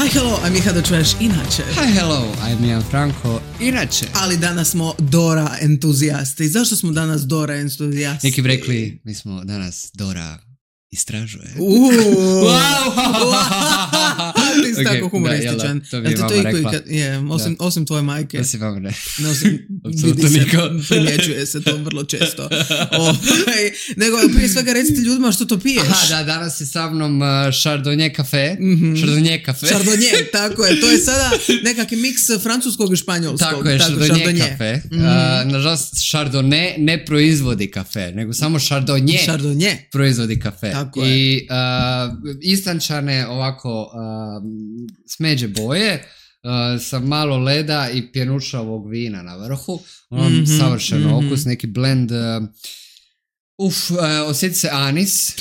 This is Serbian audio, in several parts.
Hi, hello, I'm Miha the Trash, inače. Hi, hello, I'm Jan Franko, inače. Ali danas smo Dora entuzijasti. Zašto smo danas Dora entuzijasti? Neki bi rekli, mi smo danas Dora istražuje. Ti si tako humorističan. To bi je mama rekla. Osim tvoje majke. Osim vam ne. Vidi se, primjećuje se to vrlo često. Nego prije svega recite ljudima što to piješ. Aha, da, danas je sa mnom Chardonnay kafe. Chardonnay, tako je. To je sada nekakvi miks francuskog i španjolskog. Tako je, Chardonnay kafe. Nažalost, Chardonnay ne proizvodi kafe, nego samo Chardonnay proizvodi kafe. Tako I istančane ovako smeđe boje sa malo leda i pjenušavog vina na vrhu. Savršeno okus, neki blend. Osjeti se anis.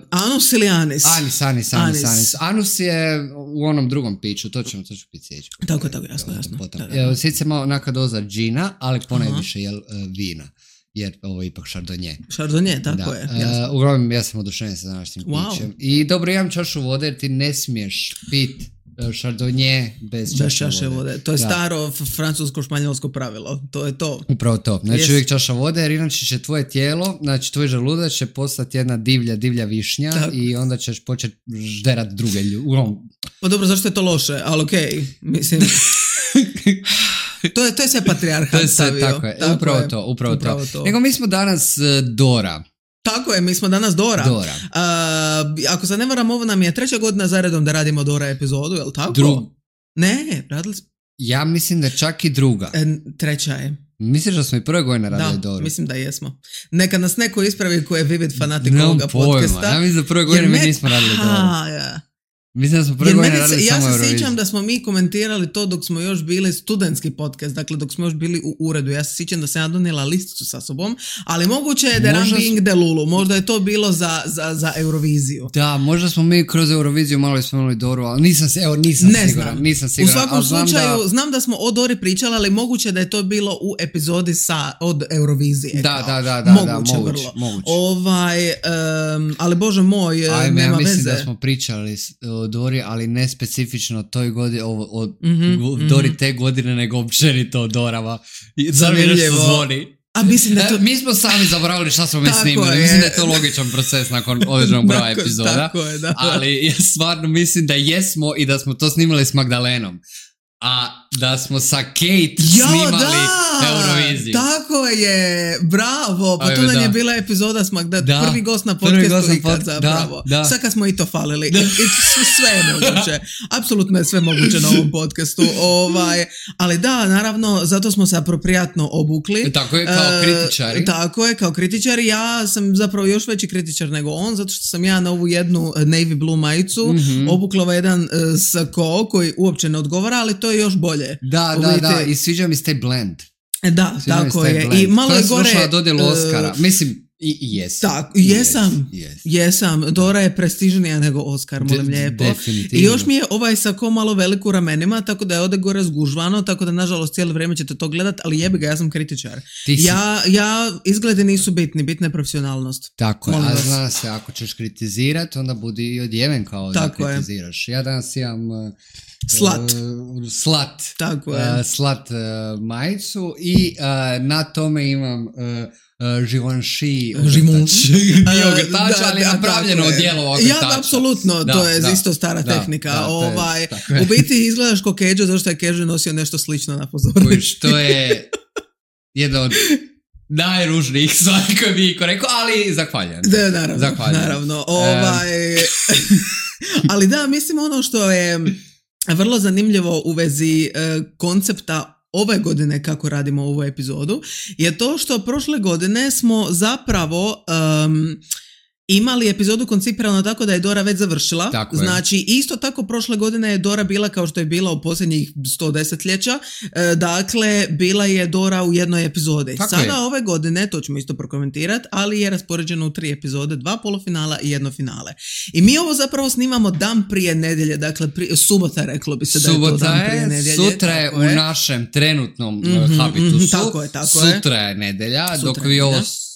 Anus ili anis? Anis. Anus je u onom drugom piću, to ću piti sjeći. Tako, jasno. Osjeti se malo neka doza džina, ali ponajviše vina. Jer ovo je ipak Chardonnay. Tako je. Uglavnom, ja sam oduševljen sa današnjim pićem. I dobro, imam čašu vode jer ti ne smiješ pit Chardonnay bez čaše vode. To je staro francusko-španjolsko pravilo. To je to. Upravo to. Znači uvijek čaša vode jer inače će tvoje tijelo, znači tvoj želudac će postati jedna divlja višnja i onda ćeš početi žderat druge ljude. Pa dobro, zašto je to loše? Ali okej, mislim... To je sve patrijarhat stavio. Tako je, upravo to. Nego mi smo danas Dora. Tako je, mi smo danas Dora. Ako se ne varam, ovo nam je 3. godina zaredom da radimo Dora epizodu, je li tako? Ne, radili smo... Ja mislim da čak i druga. 3. je. Misliš da smo i 1. godine radili Doru? Da, mislim da jesmo. Neka nas neko ispravi ko je vivid fanatik ovoga podcasta. Ja mislim da 1. godine mi nismo radili Doru. Mislim da smo prve godine radili samo Euroviziju. Ja se sjećam da smo mi komentirali to dok smo još bili studentski podcast, dakle dok smo još bili u uredu. Ja se sjećam da sam ja donijela listicu sa sobom, ali moguće je da I'm being Delulu. Možda je to bilo za Euroviziju. Da, možda smo mi kroz Euroviziju malo spomenuli Doru, ali nisam siguran. U svakom slučaju, znam da smo o Dori pričali, ali moguće da je to bilo u epizodi od Eurovizije. Da, moguće. Ali Bože moj, nema veze. Mislim da smo pričali o Dori, ali ne specifično toj godini, Dori te godine, nego općenito o Dorama. Zanimljivo. Zvoni. A mislim da to... Mi smo sami zaboravili šta smo mi snimali. Mislim da je to logičan proces nakon određenog broja epizoda. Tako je. Ali ja stvarno mislim da jesmo i da smo to snimali s Magdalenom. A da smo sa Kate snimali Euroviziju. Tako je, bravo. Pa to nam je bila epizoda s prvi gost na podcastu ikad zapravo. Sad kad smo i to falili. Sve je moguće. Apsolutno je sve moguće na ovom podcastu. Ali da, naravno, zato smo se aproprijatno obukli. Tako je, kao kritičari. Tako je, kao kritičari. Ja sam zapravo još veći kritičar nego on, zato što sam ja na ovu jednu navy blue majicu obukla jedan sako koji uopće ne odgovara, ali to je još bolje. Da, i sviđa mi se taj blend. Da, tako je. I malo je gore... Koja dodjelu Oscara. Mislim, jesam. Dora je prestižnija nego Oscar, molim lijepo. Definitivno. I još mi je ovaj sako malo velik u ramenima, tako da je ovdje gore zgužvano, tako da nažalost cijelo vrijeme ćete to gledat, ali jebi ga, ja sam kritičar. Ja izgledi nisu bitna je profesionalnost. Tako je, a zna se, ako ćeš kritizirati, onda budi i odjeven kao da kritiziraš. Ja danas imam... Slat. Tako je. Slat majicu i na tome imam Givenchy ogrtač, ali napravljeno odijelo ogrtača. Ja, apsolutno, to je isto stara tehnika. U biti izgledaš ko Keđo, zašto je Keđo nosio nešto slično na pozornici. To je jedno od najružnijih stvari koje bi Iko rekao, ali zahvaljujem. Naravno. Ali da, mislim ono što je vrlo zanimljivo u vezi koncepta ove godine kako radimo ovu epizodu je to što prošle godine smo zapravo imali epizodu koncipirano tako da je Dora već završila. Znači, isto tako prošle godine je Dora bila kao što je bila u posljednjih 100 desetljeća. Dakle, bila je Dora u jednoj epizodi. Sada ove godine, to ćemo isto prokomentirati, ali je raspoređeno u 3 epizode, 2 polufinala i 1 finale. I mi ovo zapravo snimamo dan prije nedjelje, dakle subota, reklo bi se da je to dan prije nedjelje. Sutra je u našem trenutnom habitusu. Tako je. Sutra je nedjelja,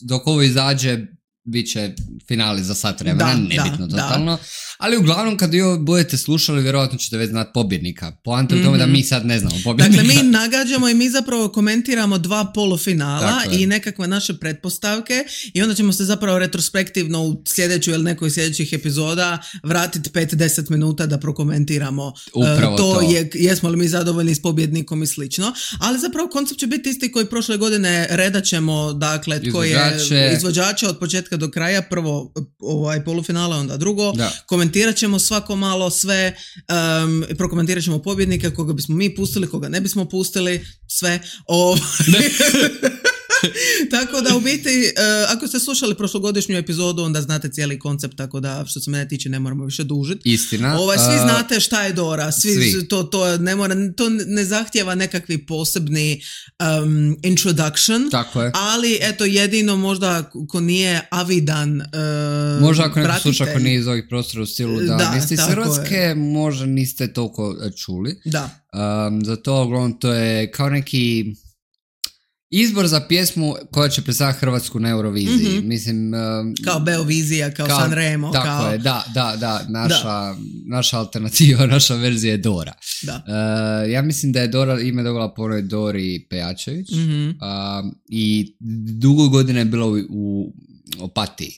dok ovo izađe bit će finali za sat vremena, nebitno totalno. Ali uglavnom kad vi budete slušali, vjerojatno ćete već znati pobjednika. Poanta u tome da mi sad ne znamo pobjednika. Dakle, mi nagađamo i mi zapravo komentiramo 2 polufinala i nekakve naše pretpostavke i onda ćemo se zapravo retrospektivno u sljedeću ili nekoj sljedećih epizoda vratiti 5-10 minuta da prokomentiramo to. Jesmo li mi zadovoljni s pobjednikom i slično. Ali zapravo koncept će biti isti koji prošle godine. Redat ćemo, dakle, tko je izvođača od početka do kraja. Prvo polufinala, onda drugo. Komentirat ćemo svako malo sve, prokomentirat ćemo pobjednike, koga bismo mi pustili, koga ne bismo pustili, sve. Tako da u biti, ako ste slušali prošlogodišnju epizodu, onda znate cijeli koncept, tako da što se mene tiče ne moramo više dužiti. Istina. Svi znate šta je Dora, svi. To ne zahtjeva nekakvi posebni introduction. Tako je. Ali eto, jedino možda ko nije avidan možda ako neko sluša ko nije iz ovih prostora u stilu da niste iz Hrvatske, možda niste toliko čuli. Da. Zato uglavnom to je kao neki izbor za pjesmu koja će predstaviti Hrvatsku na Euroviziji. Mislim, kao Beovizija, kao Sanremo. Tako je, da. Naša alternativa, naša verzija je Dora. Da. Ja mislim da je Dora ime dobila po onoj Dori Pejačević i dugo godina je bila u Opatiji.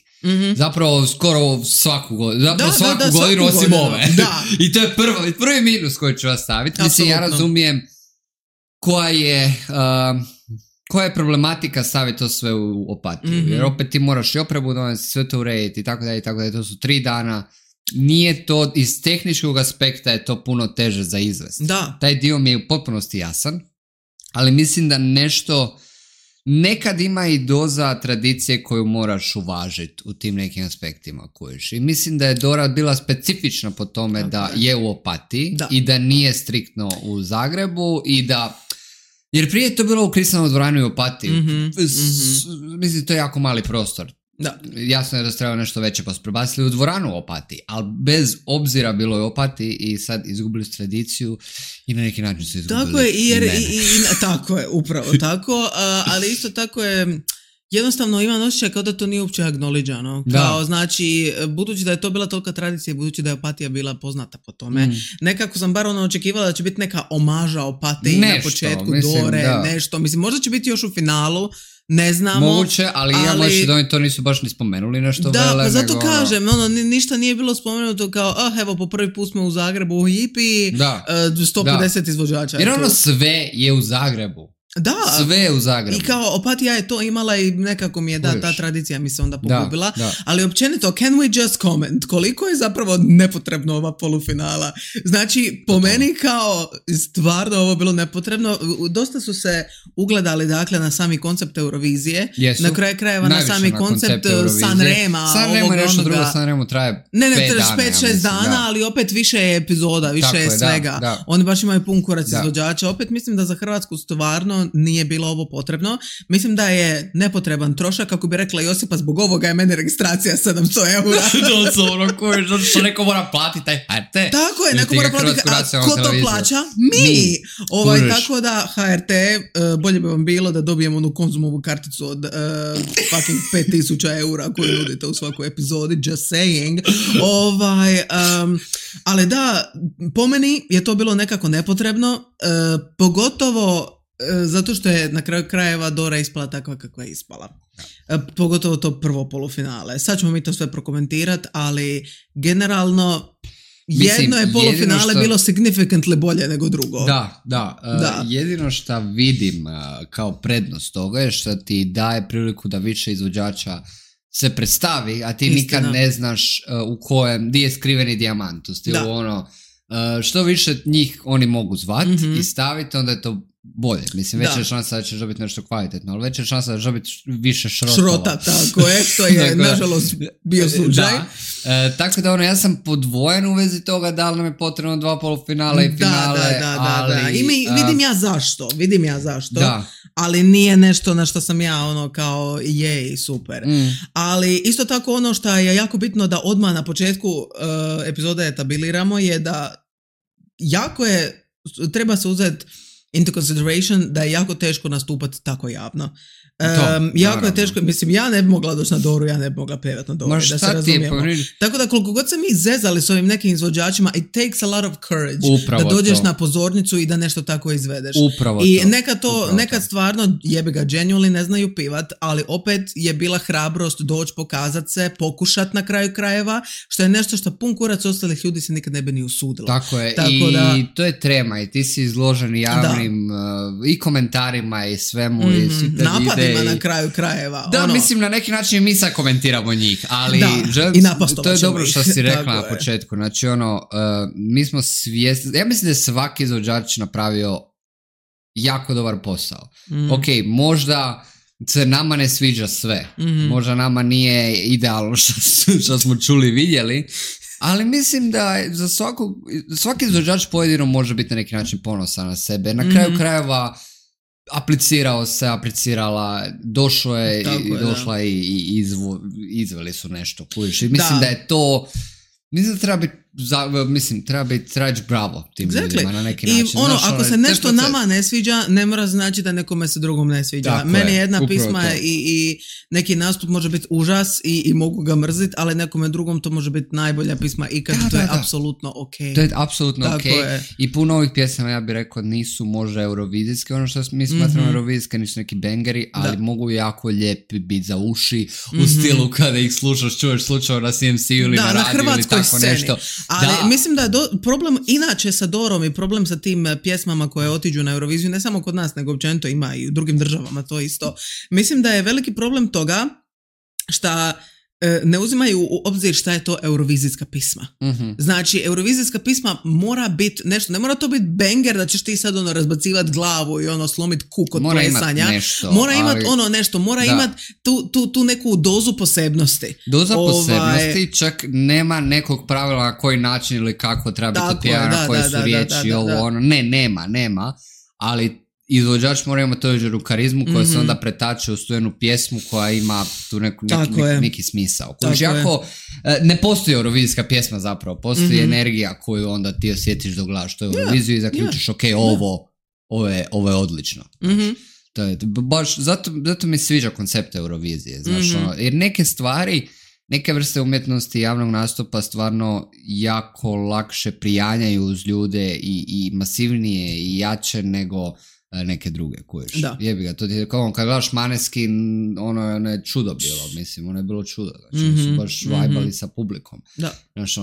Zapravo skoro svaku godinu. Svaku godinu osim ove. I to je prvi minus koji ću vas staviti. Mislim, ja razumijem koja je problematika staviti to sve u Opatiju. Jer opet ti moraš i opremu donesti, sve to urediti i tako dalje. To su 3 dana. Nije to, iz tehničkog aspekta je to puno teže za izvest. Taj dio mi je u potpunosti jasan, ali mislim da nešto nekad ima i doza tradicije koju moraš uvažiti u tim nekim aspektima kojiš. I mislim da je Dora bila specifična po tome da je u Opatiji i da nije striktno u Zagrebu i da... Jer prije je to bilo u Kristalnoj dvorani u Opatiji. Mislim, to je jako mali prostor. Da. Jasno je da se treba nešto veće, pa su prebacili u dvoranu u Opatiji, ali bez obzira bilo je u Opatiji i sad izgubili su tradiciju i na neki način su izgubili tako je, tako je, upravo tako, ali isto tako je jednostavno imam osjećaj kao da to nije uopće acknowledgeano. Kao, znači, budući da je to bila tolika tradicija, budući da je Opatija bila poznata po tome, nekako sam bar očekivala da će biti neka omaža Opatiji na početku, Dore, nešto. Mislim, možda će biti još u finalu, ne znamo. Moguće, ali ja možeš da oni to nisu baš ni spomenuli nešto vele. Da, pa zato kažem, ništa nije bilo spomenuto kao, evo, po prvi put smo u Zagrebu u Hipi, 150 izvođača. Jer sve je u Zagrebu. Da, sve je u Zagrebu. I kao Opatija je to imala i nekako mi je ta tradicija mi se onda pogubila, ali općenito, can we just comment koliko je zapravo nepotrebno ova polufinala. Znači, po meni kao stvarno ovo bilo nepotrebno. Dosta su se ugledali, dakle, na sami koncept Eurovizije. Na kraju krajeva na sami koncept Sanrema. Sanremo je nešto drugo, Sanremo traje 5-6 dana, ali opet više je epizoda, više je svega. Oni baš imaju pun kurac izvođača. Opet mislim da za Hrvatsku stvarno nije bilo ovo potrebno. Mislim da je nepotreban trošak, kako bi rekla Josipa, zbog ovoga je meni registracija 700 eura. Što neko mora platiti taj HRT. Tako je, neko mora platiti. A ko to plaća? Mi! Tako da HRT, bolje bi vam bilo da dobijemo onu Konzumovu karticu od fucking 5000 eura koju nudite u svakoj epizodi, just saying. Ali da, po meni je to bilo nekako nepotrebno, pogotovo zato što je na kraju krajeva Dora ispala takva kakva je ispala. Pogotovo to prvo polufinale. Sad ćemo mi to sve prokomentirati, ali generalno jedno je polufinale bilo significantly bolje nego drugo. Da. Jedino što vidim kao prednost toga je što ti daje priliku da više izvođača se predstavi, a ti nikad ne znaš u kojem, gdje je skriveni dijamant. U stilu što više njih oni mogu zvati i staviti, onda je to bolje. Mislim, veća je šansa da ćeš dobiti nešto kvalitetno, ali veća je šansa da ćeš dobiti više šrota, tako je, što je nažalost bio slučaj. Tako da ja sam podvojen u vezi toga da li nam je potrebno 2 polufinale i finale. Ali, i vidim ja zašto, ali nije nešto na što sam ja kao jej, super. Ali isto tako ono što je jako bitno da odmah na početku epizode etabliramo je da treba se uzeti into consideration da je jako teško nastupati tako javno. Jako je teško, mislim, ja ne bi mogla doći na Doru, ja ne bi mogla pevati na Doru, da se razumijemo. Tako da koliko god se mi zezali s ovim nekim izvođačima, it takes a lot of courage da dođeš na pozornicu i da nešto tako izvedeš. I nekad stvarno jebi ga genuinely ne znaju pivat, ali opet je bila hrabrost doći, pokazat se, pokušat na kraju krajeva, što je nešto što pun kurac ostalih ljudi se nikad ne bi ni usudilo. Tako je, to je trema i ti si izložen javnim i komentarima i svemu i svi te napadima na kraju krajeva. Da, mislim na neki način mi sad komentiramo njih, ali to je dobro što si rekla na početku. Znači mi smo svjesni, ja mislim da je svaki izvođač napravio jako dobar posao. Ok, možda se nama ne sviđa sve, možda nama nije idealno što smo čuli i vidjeli, ali mislim da za svaki izvođač pojedino može biti na neki način ponosan na sebe. Na kraju krajeva aplicirala, došla i izveli su nešto. I mislim da je to, mislim da treba biti bravo tim ljudima na neki način. I ako se nešto nama ne sviđa, ne mora znači da nekome se drugom ne sviđa. Tako meni jedna pisma i neki nastup može biti užas i mogu ga mrziti, ali nekome drugom to može biti najbolja pisma ikad. To je apsolutno ok. To je apsolutno ok. I puno ovih pjesama, ja bih rekao, nisu možda eurovizijske, ono što mi smatramo eurovizijske, nisu neki bangeri, ali mogu jako lijepi biti za uši u stilu kada ih slušaš, čuješ slučajno na CMC-u ili na radiju ili tako nešto. Ali mislim da je problem inače sa Dorom i problem sa tim pjesmama koje otiđu na Euroviziju, ne samo kod nas, nego općenito ima i u drugim državama to isto. Mislim da je veliki problem toga šta ne uzimaju u obzir šta je to eurovizijska pisma. Znači, eurovizijska pisma mora biti nešto, ne mora to biti banger da ćeš ti sad razbacivati glavu i slomit kuk od plesanja. Mora imati nešto, mora imati tu neku dozu posebnosti. Doza posebnosti, čak nema nekog pravila na koji način ili kako treba biti pjevana, koje su riječi, nema, ali izvođač mora imati tođeru karizmu koja se onda pretače u jednu pjesmu koja ima tu neki smisao. Jako, ne postoji eurovizijska pjesma zapravo, postoji energija koju onda ti osjetiš dok gledaš tu Euroviziju i zaključiš ovo je odlično. To je, baš, zato mi sviđa koncept Eurovizije, znaš, jer neke stvari, neke vrste umjetnosti javnog nastupa stvarno jako lakše prijanjaju uz ljude i masivnije i jače nego neke druge, kuješ. Jebi ga, to ti kao kad gledaš Maneskin, ono je čudo bilo, mislim, ono je bilo čudo. Znači, su baš vibali sa publikom. Znači,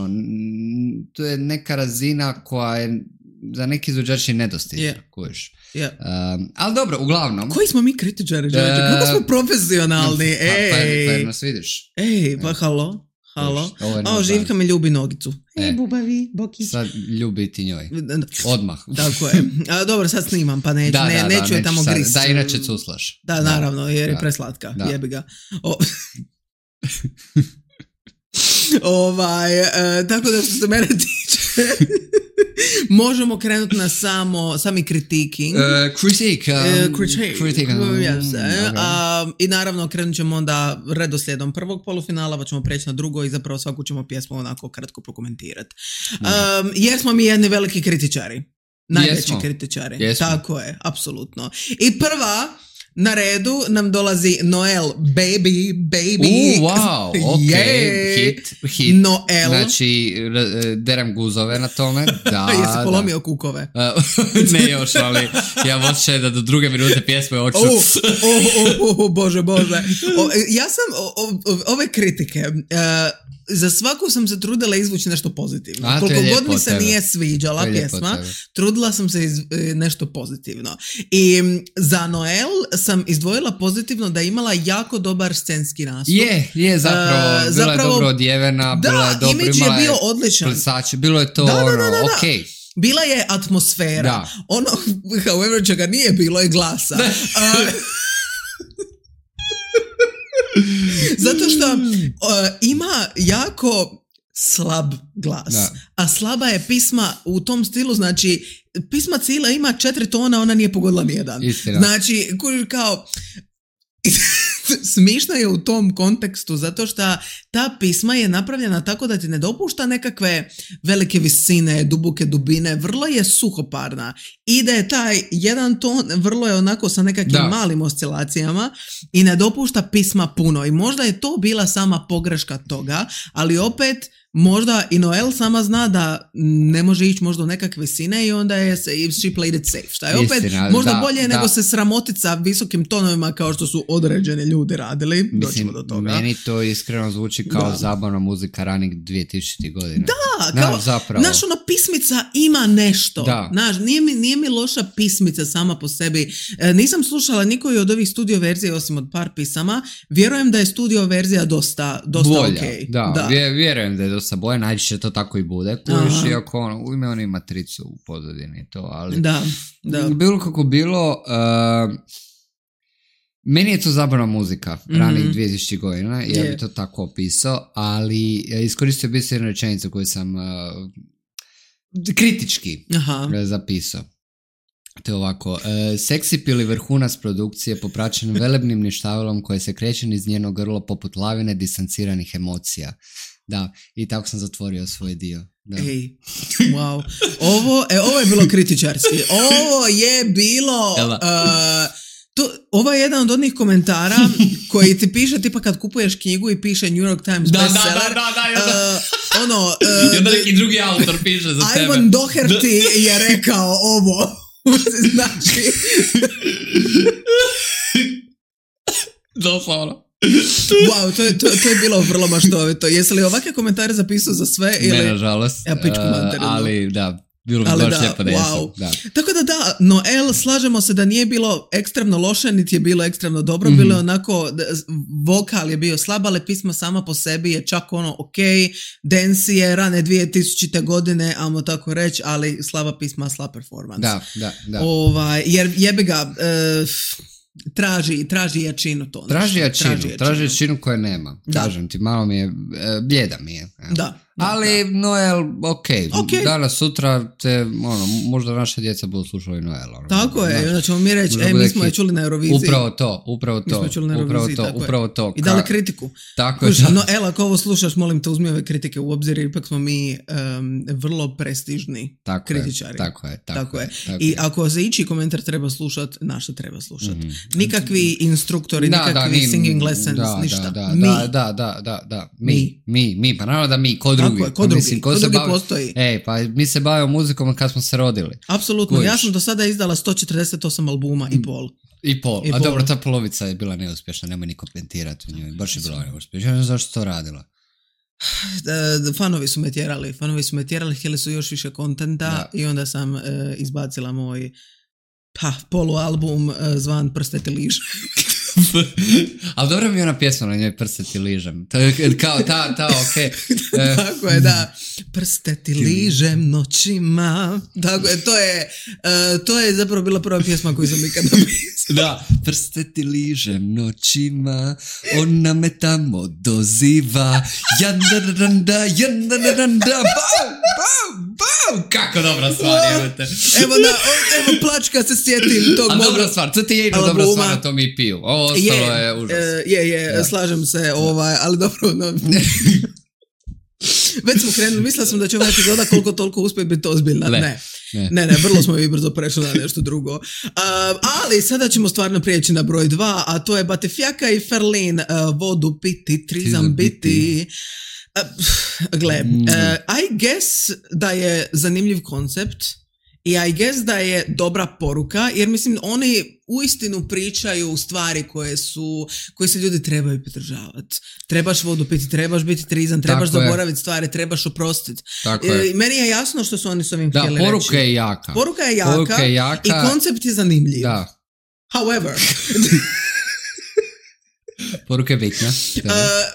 to je neka razina koja je za neki izvođači nedostižna, kuješ. Ali dobro, uglavnom. Koji smo mi kritičari, kako smo profesionalni? Pa nas vidiš. Pa halo. Živka me ljubi nogicu. Bubavi, bokić. Sad ljubi ti njoj. Odmah. Tako je. Dobro, sad snimam, pa neću je tamo grist. Da, inače cuslaš. Da, naravno, jer je preslatka. Jebi ga. Tako da što se mene tiče možemo krenuti na sami kritiking. I naravno krenut ćemo onda redoslijedom prvog polufinala, pa ćemo preći na drugo i zapravo svaku ćemo pjesmu onako kratko prokomentirati. Jer smo mi jedni veliki kritičari. Najveći kritičari. Tako je, apsolutno. I prva na redu nam dolazi Noel, baby. Wow, ok, hit. Noel. Znači, derem guzove na tome. Jesi polomio kukove? Ne još, ali ja moće da do druge minute pjesme oču. Bože. Ja sam ove kritike, za svaku sam se trudila izvući nešto pozitivno. Koliko god mi se nije sviđala pjesma, trudila sam se nešto pozitivno. I za Noel sam izdvojila pozitivno da je imala jako dobar scenski nastup. Je, zapravo bila je dobro odjevena, bila je dobro, imidž je bio odličan. Plesači, bilo je to okej. Bila je atmosfera. However, čega nije bilo je glasa. Zato što ima jako slab glas. A slaba je pisma u tom stilu, znači pisma cijela ima 4 tona, ona nije pogodila nijedan. Istina. Znači, kao smišna je u tom kontekstu zato što ta pisma je napravljena tako da ti ne dopušta nekakve velike visine, duboke dubine, vrlo je suhoparna i da je taj jedan ton vrlo je onako sa nekakvim malim oscilacijama i ne dopušta pisma puno i možda je to bila sama pogreška toga, ali opet možda i Noel sama zna da ne može ići možda u nekakve visine i onda je she played it safe. Šta je opet možda bolje nego se sramotiti sa visokim tonovima kao što su određeni ljudi radili. Mislim, do toga. Meni to iskreno zvuči kao zabavna muzika ranih 2000. godina. Da, kao, znaš, ona pismica ima nešto. Znaš, nije mi loša pismica sama po sebi. Nisam slušala nikoju od ovih studio verzije osim od par pisama. Vjerujem da je studio verzija dosta bolja, okej. Da, vjerujem da je dosta bolje, najčešće to tako i bude. Kužiš, iako u ime on ima tricu u pozadini to, ali da. Bilo kako bilo, meni je to zabavna muzika ranih 2000 godina, ja bi to tako opisao, ali iskoristio bi se jednu rečenicu koju sam kritički zapisao. To je ovako, seksipil i vrhunac produkcije popraćen velebnim ništavilom koje se kreće niz njeno grlo poput lavine distanciranih emocija. Da, i tako sam zatvorio svoj dio. Da. Ej, wow. Ovo je bilo kritičarski. Ovo je bilo... Ovo je jedan od onih komentara koji ti piše tipa kad kupuješ knjigu i piše New York Times bestseller. I onda neki drugi autor piše za tebe. Ivan Doherty je rekao ovo. Znači... Doslovno. Wow, to je bilo vrlo maštovito. Jesi li ovakve komentare zapisao za sve? Ne, nažalost. Ali da, bilo bi baš lijepo da wow. Tako da, Noel, slažemo se da nije bilo ekstremno loše, niti je bilo ekstremno dobro, bilo je onako, vokal je bio slab, ali pisma sama po sebi je čak ono dance je rane 2000. godine, ajmo tako reći, ali slaba pisma, slab performance. Da. Jer jebi ga... Traži jačinu to. Traži jačinu koje nema. Kažem ti, malo mi je, bljeda mi je. Ali Noel, ok. Danas, sutra te, možda naša djeca budu slušali Noel. Tako je, onda ćemo mi reći, mi smo je čuli na Euroviziji. Upravo to. I dali kritiku. Tako je. Noel, ako ovo slušaš, molim te, uzmi ove kritike u obzir, ipak smo mi vrlo prestižni kritičari. Tako je. I ako za ići komentar treba slušati, naša treba slušati. Nikakvi instruktori, nikakvi singing lessons, ništa. Da. Mi, pa naravno da mi, ko drugi. Ko drugi postoji. Pa mi se bavimo muzikom kad smo se rodili. Apsolutno, ja sam do sada izdala 148 albuma i pol. A dobro, ta polovica je bila neuspješna, nemoj ni komentirati u njoj, baš je bila neuspješna. Ja ne znam zašto to radila. Fanovi su me tjerali, htjeli su još više kontenta i onda sam izbacila moj polualbum zvan Prsteti liž. Ali dobro mi je ona pjesma na njoj Prsteti ližem. To je kao okej. Tako je, da. Prsteti ližem noćima. Tako je, to je zapravo bila prva pjesma koju sam ikad napisao. Da, prsteti ližem noćima, ona me tamo doziva. Jandaranda, bau. Kako dobra stvar, jebate. Evo plač kad se sjetim tog moga. A dobra stvar, to ti je jedna dobra stvar, na to mi piju. Ovo ostalo je užas. Slažem se, ali dobro, već smo krenuli, mislila sam da će ova epizoda koliko toliko uspjeti biti ozbiljna. Ne, vrlo smo i brzo prešli na nešto drugo. Ali sada ćemo stvarno prijeći na broj 2, a to je Batifjaka i Ferlin, vodu piti, trizam biti. I guess da je zanimljiv koncept i I guess da je dobra poruka, jer mislim oni uistinu pričaju stvari koje se ljudi trebaju pridržavati. Trebaš vodu piti, trebaš biti trizan, trebaš zaboraviti stvari, trebaš oprostiti. Meni je jasno što su oni s ovim htjeli reći. Poruka je jaka i koncept je zanimljiv. However... Poruka je bitna.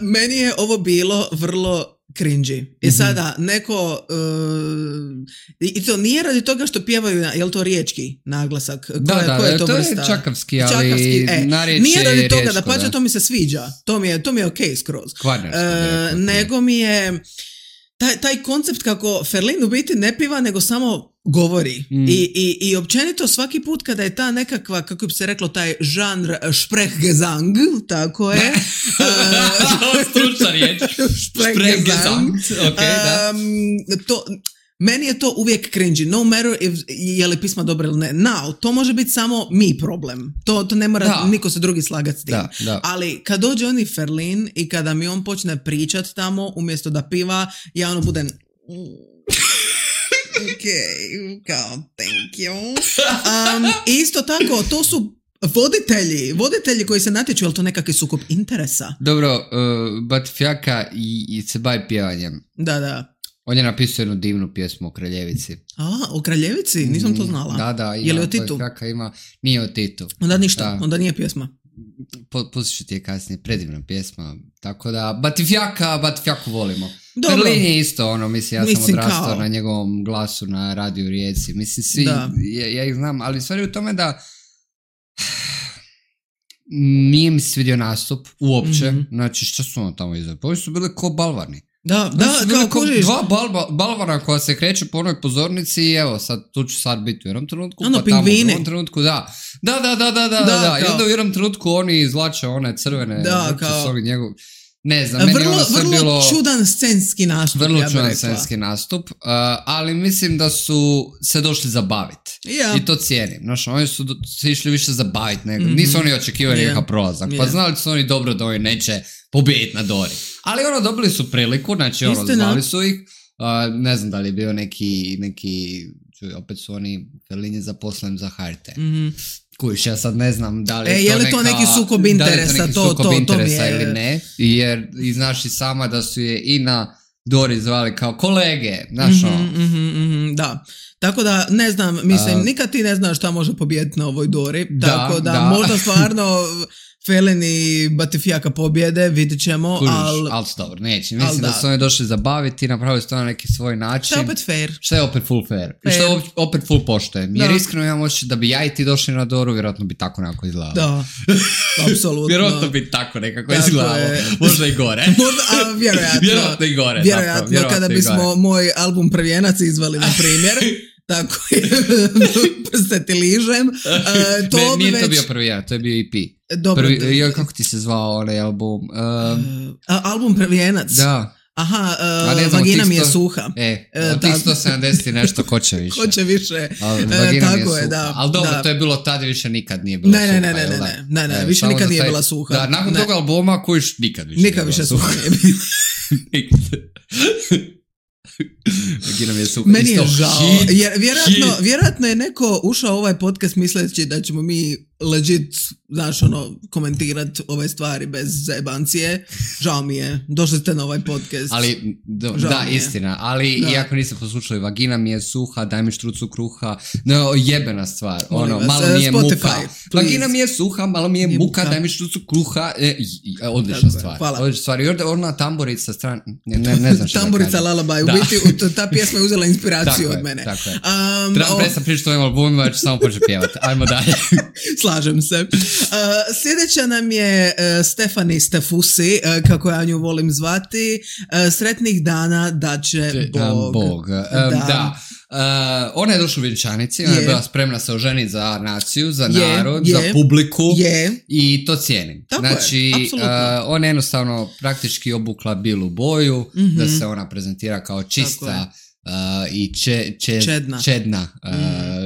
Meni je ovo bilo vrlo cringy. I sada neko i to nije radi toga što pjevaju, je li to riječki naglasak? Koja je to vrsta? Je čakavski, ali narječje nije radi toga, da pače, to mi se sviđa. To mi je okej skroz. Nego mi je taj koncept kako Ferlin u biti ne piva, nego samo govori. I općenito svaki put kada je ta nekakva, kako bi se reklo, taj žanr Sprechgesang, tako je. Stručna riječ. Sprechgesang. Okay, da. Meni je to uvijek cringy, no matter je li pisma dobro ili ne. Now, to može biti samo mi problem. To ne mora niko se drugi slagati s tim. Da. Ali kad dođe on i Ferlin i kada mi on počne pričat tamo, umjesto da piva, ja ono budem... kao, thank you. Isto tako, to su voditelji koji se natječu, je li to nekakvi sukob interesa? Dobro, Batifjaka i se bavi pjevanjem. Da. On je napisao jednu divnu pjesmu o Kraljevici. O Kraljevici? Nisam to znala. Da. Je li o Titu? Nije o Titu. Onda ništa, onda nije pjesma. Pustit ću ti je kasnije, predivna pjesma. Tako da, Batifjaku volimo. Dobro. Ferlin je isto, mislim, sam odrastao na njegovom glasu na radiju Rijeci. Mislim, svi, ja ih znam, ali stvar je u tome da nije mi svidio nastup uopće. Znači, što su ono tamo izveli? Ovi su bili ko balvarni. Da, kao kužiš. Dva balvana koja se kreće po onoj pozornici i evo, tu ću sad biti u jednom trenutku, pa tamo u jednom trenutku, da. I onda u jednom trenutku oni izvlače one crvene, kao... Ne znam, meni ono sve bilo... Vrlo čudan scenski nastup, scenski nastup, ali mislim da su se došli zabaviti. I to cijenim. Znaš, oni su se išli više zabaviti nego. Nisu oni očekivali nekakav prolazak. Pa znali su oni dobro da oni neće pobijediti na Dori. Ali dobili su priliku, znači zvali su ih. Ne znam da li je bio neki opet su oni Ferlin zaposlen za HRT. Kujiš, ja sad ne znam da li je to neki sukob interesa, ili ne, jer znaš i sama da su je i na Dori zvali kao kolege, znaš da. Tako da, ne znam, mislim, nikad ti ne znaš šta može pobijediti na ovoj Dori, tako da možda stvarno Ferlin i Batifjaka pobjede, vidit ćemo, ali dobro, neće. Mislim da su oni došli zabaviti i napravili su to na neki svoj način. Što je opet fair. Što je opet full fair. I što je opet full poštojem. Jer iskreno imam oči da bi ja i ti došli na Doru, vjerojatno bi tako nekako izgledalo. Da, apsolutno. Vjerojatno bi tako nekako izgledalo. Možda i gore. Vjerojatno i gore. Vjerojatno, kada bismo moj album Prvijenac izvali, na primjer. Tako je, prste ti ližem. Nije to bio Prvijenac, to je bio EP. Dobro. Kako ti se zvao onaj album? Album Prvijenac? Da. Aha, vagina mi je suha. Od tih 170 nešto, ko će više? Ko će više, tako je, da. Ali dobro, to je bilo tada, više nikad nije bilo suha. Ne, više nikad nije bila suha. Da, nakon toga albuma kojiš nikad više nikad više suha nije bila. Vagina mi je suha. Meni je žao, jer vjerojatno je neko ušao u ovaj podcast misleći da ćemo mi legit, znaš, komentirati ove stvari bez zajebancije. Žao mi je, došli ste na ovaj podcast. Ali, istina, ali iako niste poslušali, vagina mi je suha, daj mi štrucu kruha, jebena stvar, malo mi je Spotify, muka. please. Vagina mi je suha, malo mi je muka, daj mi štrucu kruha, odlična stvar. Odlična stvar, i ona tamburica strana, ne znam što tamburica Lullaby, u biti ta pjesma je uzela inspiraciju od mene. Tako je. Trebam presam pričati o ovim albumima, jer ću samo početi pjevati. Ajmo dalje. Slažem se. Sljedeća nam je Stefani Stefusi, kako ja nju volim zvati. Sretnih dana da će Bog. Da. Ona je došla u vjenčanici, ona je bila spremna se oženiti za naciju, za narod, za publiku i to cijenim. Znači, ona je jednostavno praktički obukla bilu boju, da se ona prezentira kao čista i čedna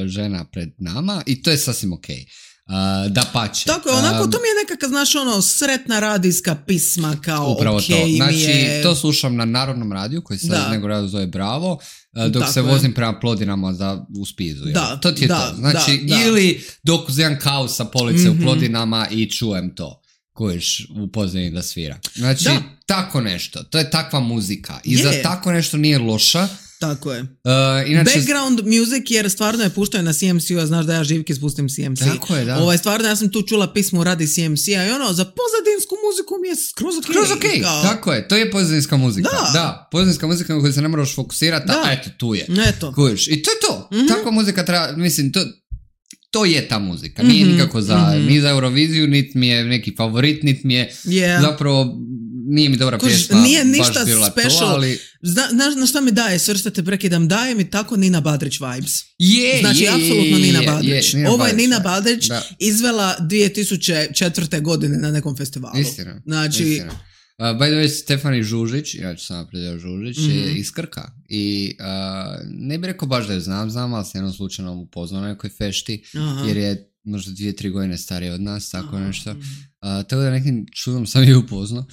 žena pred nama i to je sasvim okej. Da pače. Tako je, onako to mi je nekakav, znaš, sretna radijska pisma kao upravo to. Znači, to slušam na Narodnom radiju koji se nego radio zove Bravo, dok se vozim prema Plodinama u Spizu. To ti je to. Znači, ili dok uzimam kavu sa police u Plodinama i čujem to kojiš u pozadini da svira. Znači, tako nešto. To je takva muzika. I za tako nešto nije loša. Tako je. Inače, background music, jer stvarno je puštao na CMC-u, a znaš da ja živki spustim CMC. Tako je, da. Stvarno, ja sam tu čula pismu radi CMC-a i za pozadinsku muziku mi je skroz okej. Tako je, to je pozadinska muzika. Da, pozadinska muzika na koju se ne moraš fokusirati, a eto, tu je. Kužiš. I to je to. Takva muzika treba, mislim, to je ta muzika. Nije nikako ni za Euroviziju, niti mi je neki favorit, niti mi je zapravo nije mi dobra pjesma. Nije ništa baš bila special. To, ali... Znaš na šta mi daje, svrštate prekidam, daje mi tako Nina Badrić vibes. Znači, apsolutno Nina Badrić. Ovo je Nina Badrić izvela 2004. godine na nekom festivalu. Istina. Znači... Istina. By the way, Stefani Žužić, ja ću samo predjel Žužić, je iz Krka. I ne bih rekao baš da je znam, ali se jednom slučajno upoznao na nekoj fešti, jer je možda 2-3 godine stariji od nas, tako nešto. Tako da nekim čudom sam je upoznao.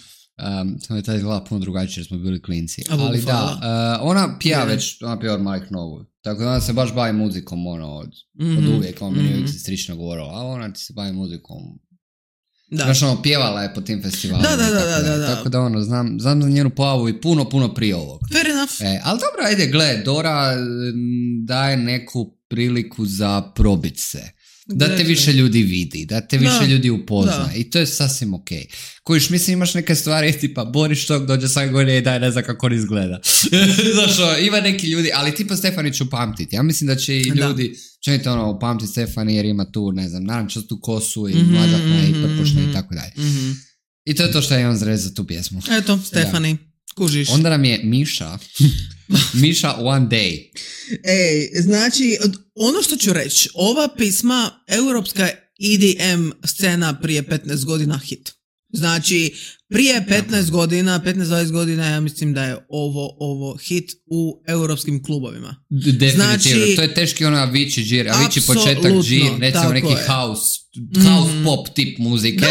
Samo je taj izgleda puno drugačije jer smo bili klinci. Ali da, ona pija već, ona pija od malih nogu. Tako da ona se baš bavi muzikom od uvijek, on meni uvijek se strično govorila, a ona ti se bavi muzikom. Znaš, ono, pjevala je po tim festivalima. Da. Tako da, ono, znam za njenu pojavu i puno prije ovog. Fair enough. Ali dobro, ajde, gle, Dora daje neku priliku za probit se. Da te više ljudi vidi, da te više ljudi upozna. I to je sasvim okej. Kojiš, mislim, imaš neke stvari, tipa, Boris Štog dođe svake godine i daje ne znam kako on izgleda. Znaš, ima neki ljudi, ali tipa Stefani ću pamtiti. Ja mislim da će i ljudi, čenite ono, pamtiti Stefani jer ima tu, ne znam, narančastu kosu i mlađatna i prpošna i tako dalje. I to je to što je on zrez za tu pjesmu. Eto, Stefani, kužiš. Onda nam je Miša One Day. Znači, ono što ću reći, ova pisma, europska EDM scena prije 15 godina hit. Znači, prije 15 godina, 15-20 godina, ja mislim da je ovo hit u europskim klubovima. Definitivno, znači, to je teški ono Avicii džir, Avicii početak džir, recimo neki house pop tip muzike.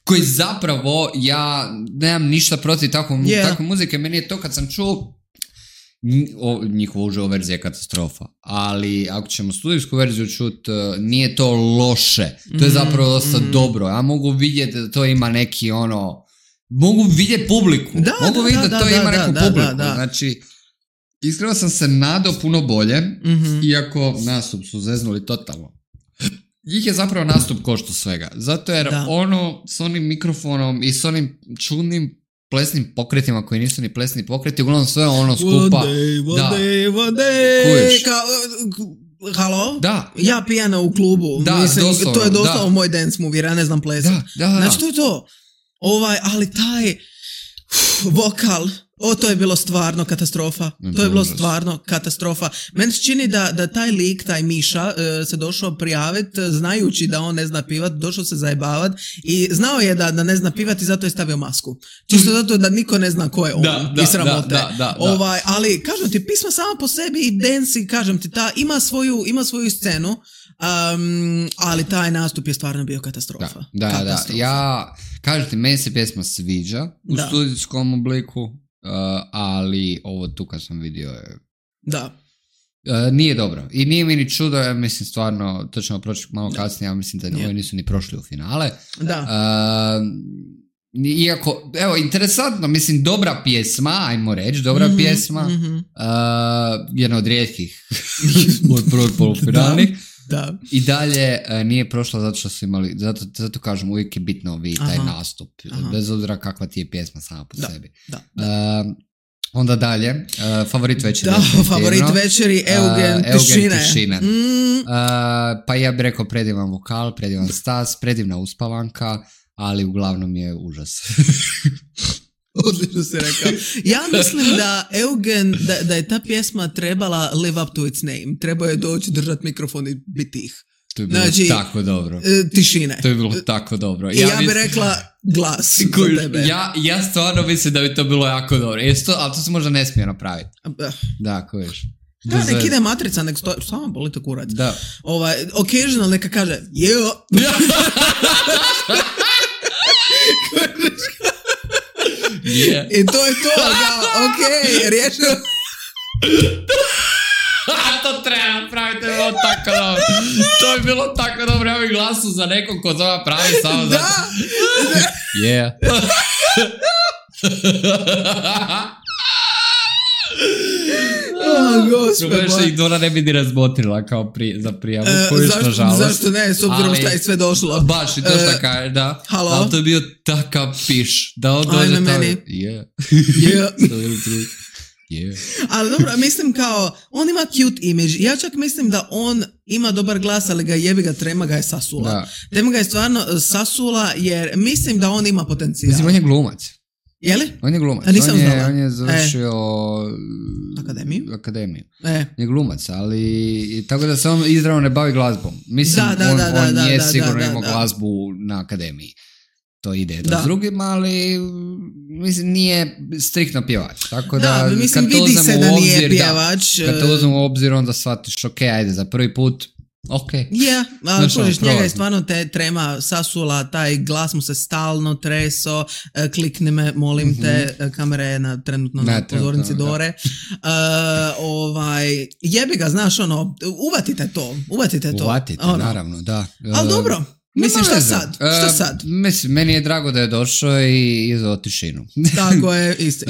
Koji zapravo, ja nemam ništa protiv takve muzike, meni je to kad sam čuo njihova uživo verzija je katastrofa, ali ako ćemo studijsku verziju čut, nije to loše, to je zapravo dosta dobro, ja mogu vidjeti da to ima neki ono, mogu vidjeti publiku, mogu vidjeti da to ima neku publiku, znači iskreno sam se nadao puno bolje, iako nastup su zeznuli totalno. Njih je zapravo nastup košta svega, zato jer ono s onim mikrofonom i s onim čudnim plesnim pokretima koji nisu ni plesni pokreti, uglavnom sve ono skupa. One day. Halo? Da. Ja pijana u klubu. Mislim, doslovno, to je doslovno moj dance movie, ja ne znam plesati. Znači to je to. Ali taj vokal, to je bilo stvarno katastrofa. To je bilo stvarno katastrofa. Meni se čini da taj lik, taj Miša, se došao prijaviti znajući da on ne zna pivat, došao se zajebavat i znao je da ne zna pivat i zato je stavio masku. Čisto zato da niko ne zna ko je on. I sramote. Ali, kažem ti, pisma sama po sebi i dance, kažem ti, ima svoju scenu, ali taj nastup je stvarno bio katastrofa. Da. Ja, kažem ti, meni se pjesma sviđa u studijskom obliku. Ali ovo tu kad sam vidio je... nije dobro. I nije mi ni čudo, ja mislim stvarno, to ćemo proći malo kasnije, ja mislim da ovi nisu ni prošli u finale. Iako, evo, interesantno, mislim, dobra pjesma, ajmo reći, pjesma, jedna od rijetkih od prvog polufinalnih. I dalje nije prošla zato što su imali, zato kažem, uvijek je bitno vidjeti taj nastup, bez obzira kakva ti je pjesma sama po sebi. Onda dalje, favorit večeri. Favorit večeri, Eugen Tišine. Pa ja bih rekao predivan vokal, predivan stas, predivna uspavanka, ali uglavnom je užas. Odlično si rekao. Ja mislim da Eugen, da je ta pjesma trebala live up to its name. Trebao je doći, držati mikrofon i biti tih. To je bilo tako dobro. Tišine. To je bilo tako dobro. Ja bih rekla glas za tebe. Ja stvarno mislim da bi to bilo jako dobro. Ali to se možda ne smije napraviti. Da, ko viš. Nek ide matrica, nek stoji, samo boli to kurac. Occasional neka kaže I to je to, riješio. To treba napraviti, to je bilo tako dobro. To je bilo tako dobro, ja bih glasu za nekog ko zove pravi samo za... Yeah. Gospod. Ih Dora ne bi ni razmotrila kao za prijavu, kojiš nažalost. Zašto ne, s obzirom šta je sve došlo. Baš i to šta kaže, da. Halo? Ali to je bio takav piš, da on dođe tamo. Meni. Ali dobro, mislim kao, on ima cute image. Ja čak mislim da on ima dobar glas, ali Trema ga je sasula. Trema ga je stvarno sasula, jer mislim da on ima potencijal. Mislim, on je glumac. Je li? On je glumac. A nisam znala. On je završio akademiju. On je glumac, ali tako da se on izravno ne bavi glazbom. Mislim, on je sigurno imao glazbu na akademiji. To ide do s drugim, ali mislim, nije striktno pjevač. Tako da mislim, vidi se da nije pjevač. Kad to uzmemo u obzir, onda shvatiš, ok, ajde, za prvi put, ok. Ali kužiš, njega je stvarno te trema sasula, taj glas mu se stalno treso, klikni me, molim te, kamera je trenutno na pozornici Dore. Jebi ga, znaš, uvatite to. Uvatite, naravno, da. Ali dobro. Mislim, šta sad? Mislim, meni je drago da je došao i izveo tišinu. Tako je, isto.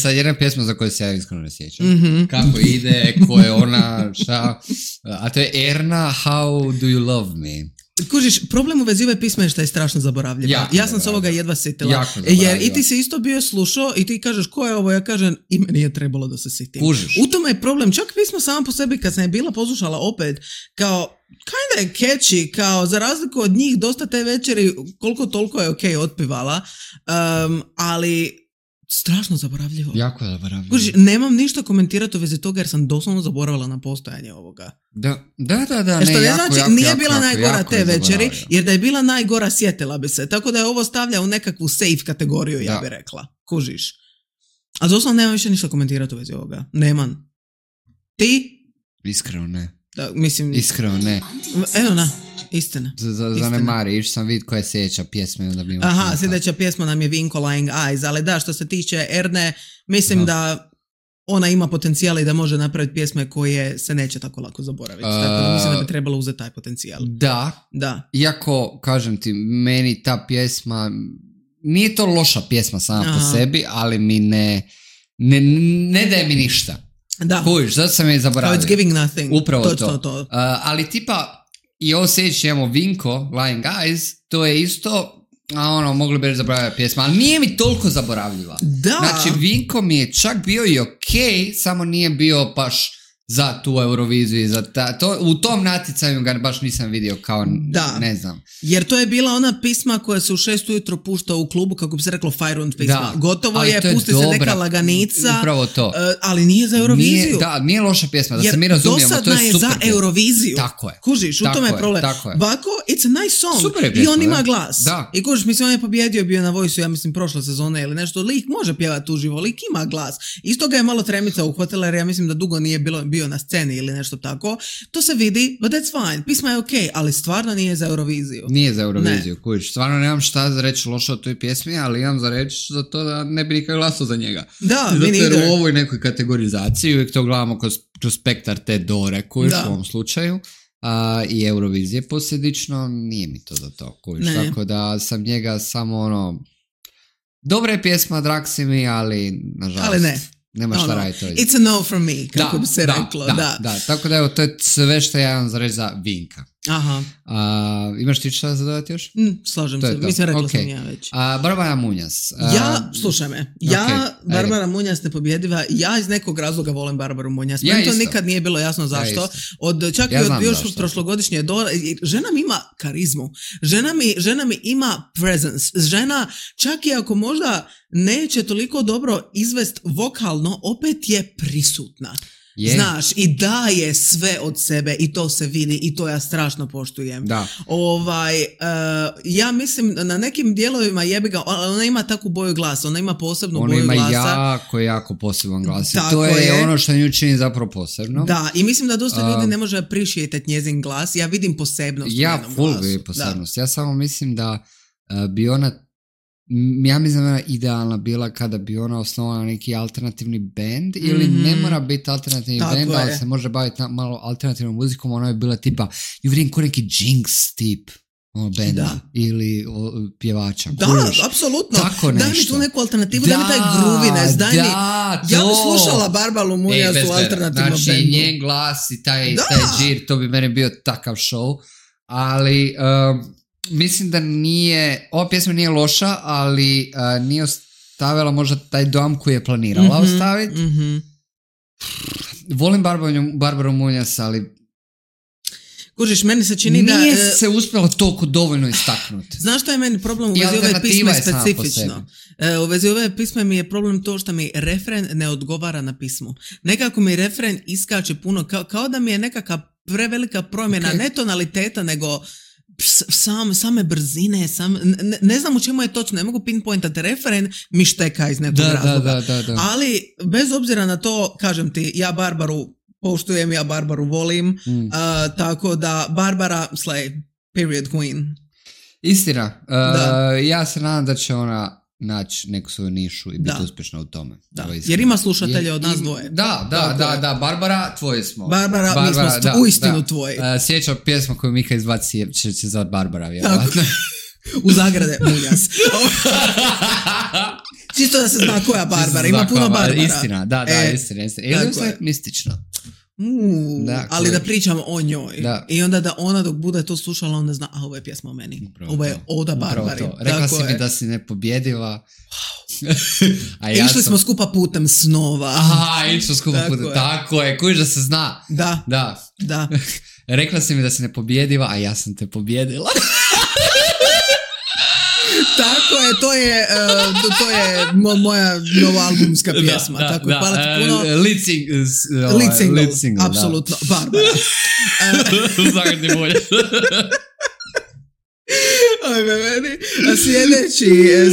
Sad jedna pjesma za koju se ja iskreno ne sjećam. Kako ide, ko je ona, šta. A to je Erna, How do you love me? Kužiš, problem u vezi ove pisme je što je strašno zaboravljiva. Ja sam s ovoga jedva sjetila. Jer i ti si isto bio slušao i ti kažeš ko je ovo, ja kažem i meni je trebalo da se sjetim. Kužiš. U tome je problem. Čak pismo sama po sebi kad sam je bila poslušala opet, kao kinda je catchy, kao za razliku od njih dosta te večeri koliko toliko je ok otpivala, ali strašno zaboravljivo. Jako je zaboravljivo. Kužiš, nemam ništa komentirati u vezi toga jer sam doslovno zaboravila na postojanje ovoga. Da. Što ne znači, nije bila najgora te večeri, jer da je bila najgora sjetila bi se. Tako da je ovo stavlja u nekakvu safe kategoriju, ja bi rekla. Kužiš. A doslovno nemam više ništa komentirati u vezi ovoga. Nemam. Ti? Iskreno ne. Da, mislim... Iskreno ne. Evo na, istina. Zanemari, išao sam vidjeti koja je sljedeća pjesma. Sljedeća pjesma nam je Vinko Lying Eyes, ali da, što se tiče Erne, mislim da ona ima potencijal i da može napraviti pjesme koje se neće tako lako zaboraviti. Tako da mislim da bi trebalo uzeti taj potencijal. Da. Iako, kažem ti, meni ta pjesma, nije to loša pjesma sama po sebi, ali mi ne daje mi ništa. Da. Kužiš, zato sam je zaboravio. It's giving nothing. Upravo to. Ali tipa, i ovo sljedeće imamo Vinko, Lying Eyes, to je isto, mogli bi reći zaboravljati pjesma, ali nije mi toliko zaboravljiva. Da. Znači, Vinko mi je čak bio i okej, samo nije bio baš za tu Euroviziju i za u tom natjecanju ga baš nisam vidio kao, ne znam. Jer to je bila ona pisma koja se u 6 ujutro pušta u klubu, kako bi se reklo Fajrund pisma. Gotovo je, pusti se neka laganica, upravo to. Ali nije za Euroviziju. Nije loša pjesma, da se mi razumijemo, to je super. Jer dosadna je za Euroviziju. Tako je. Kužiš, u tome je problem. Vako, it's a nice song. Super je pjesma, i on ima glas. Da. I kužiš, mislim, on je pobjedio, bio na Voice-u, ja mislim, prošle sezone ili nešto. Lik može pjevati uživo, lik ima glas. Isto ga je malo tremica uhvatila, jer ja mislim da dugo nije bio na sceni ili nešto tako. To se vidi, but that's fine. Pisma je okej, ali stvarno nije za Euroviziju. Nije za Euroviziju, kužiš. Stvarno nemam šta za reći loše o toj pjesmi, ali imam za reći za to da ne bi nikad glasao za njega. Da, zato jer u ovoj nekoj kategorizaciji uvijek to gledamo kroz spektar te Dore, kužiš, u ovom slučaju. I Eurovizije posljedično, nije mi to za to, kužiš. Tako da sam njega samo dobra je pjesma, drag si mi, ali nažalost. Ali ne. Nema šta raditi to. It's a no from me, kako bi se reklo. Da, tako da evo, to je sve što ja imam za reći za Vinka. Aha. Imaš ti šta za dodati još? Slažem se, mislim rekla sam ja već. Barbara Munjas. Slušaj me, Barbara Munjas nepobjediva, ja iz nekog razloga volim Barbaru Munjas. Meni to nikad nije bilo jasno zašto. Čak i od još prošlogodišnje žena mi ima karizmu, žena mi ima presence, žena čak i ako možda neće toliko dobro izvest vokalno, opet je prisutna. Znaš, i daje sve od sebe i to se vidi i to ja strašno poštujem. Ja mislim na nekim dijelovima jebiga, ona ima takvu boju glasa, ona ima posebnu boju glasa. Ona ima jako poseban glas i to je ono što nju čini zapravo posebno. Da, i mislim da dosta ljudi ne može appreciate njezin glas. Ja vidim posebnost u njenom glasu. Ja vidim posebnost. Ja samo mislim da bi ona, ja mislim da je idealna bila kada bi ona osnovala neki alternativni band ili ne mora biti alternativni band, ali se može baviti malo alternativnom muzikom. Ona je bila tipa, ju vidim ko neki Jinx tip benda ili pjevača. Da, apsolutno. Daj mi tu neku alternativu, daj mi taj grooviness, daj mi. Ja bi slušala Barbaru Munjas u alternativnom bandu. Znači, njen glas i taj džir, to bi meni bio takav show, ali mislim da nije, ova pjesma nije loša, ali nije ostavila možda taj dojam koji je planirala ostaviti. Volim Barbaru Munjas, ali Kužiš, meni se čini da... Nije se uspjelo toliko dovoljno istaknuti. Znaš što je meni problem u vezi ove pisme specifično? U vezi ove pisme mi je problem to što mi refren ne odgovara na pismu. Nekako mi refren iskače puno, kao da mi je nekakva prevelika promjena, ne tonaliteta, nego same brzine, ne znam u čemu je točno, ne mogu pinpointati, refren mi šteka iz nekog razloga. Da. Ali bez obzira na to, kažem ti, ja Barbaru poštujem, ja Barbaru volim, tako da Barbara slay, period queen. Istina, ja se nadam da će ona naći neku svoju nišu i biti uspješna u tome. Da. Jer ima slušatelje od nas dvoje. Da, Barbara, tvoji smo. Barbara mi smo uistinu tvoji. Sjećam pjesma koju Mika izbaci će se zvati Barbara, vjerovatno. U zagrade, muljas. Čisto da se zna koja Barbara, ima puno Barbara. Istina, istina. Ili je mistično. Ali da pričam o njoj. I onda da ona dok bude to slušala, onda zna, ovo je pjesma o meni. Ovo je oda Barbari. Rekla si mi da si nepobjediva. Išli smo skupa putem snova. Išli smo skupa putem. Tako je, kužiš da se zna. Da. Rekla si mi da si nepobjediva, a ja sam te pobjedila. Tako je, to je moja novoalbumska pjesma. Tako je, hvala ti puno. Lead single, apsolutno, Barbara. Zagadni bolje.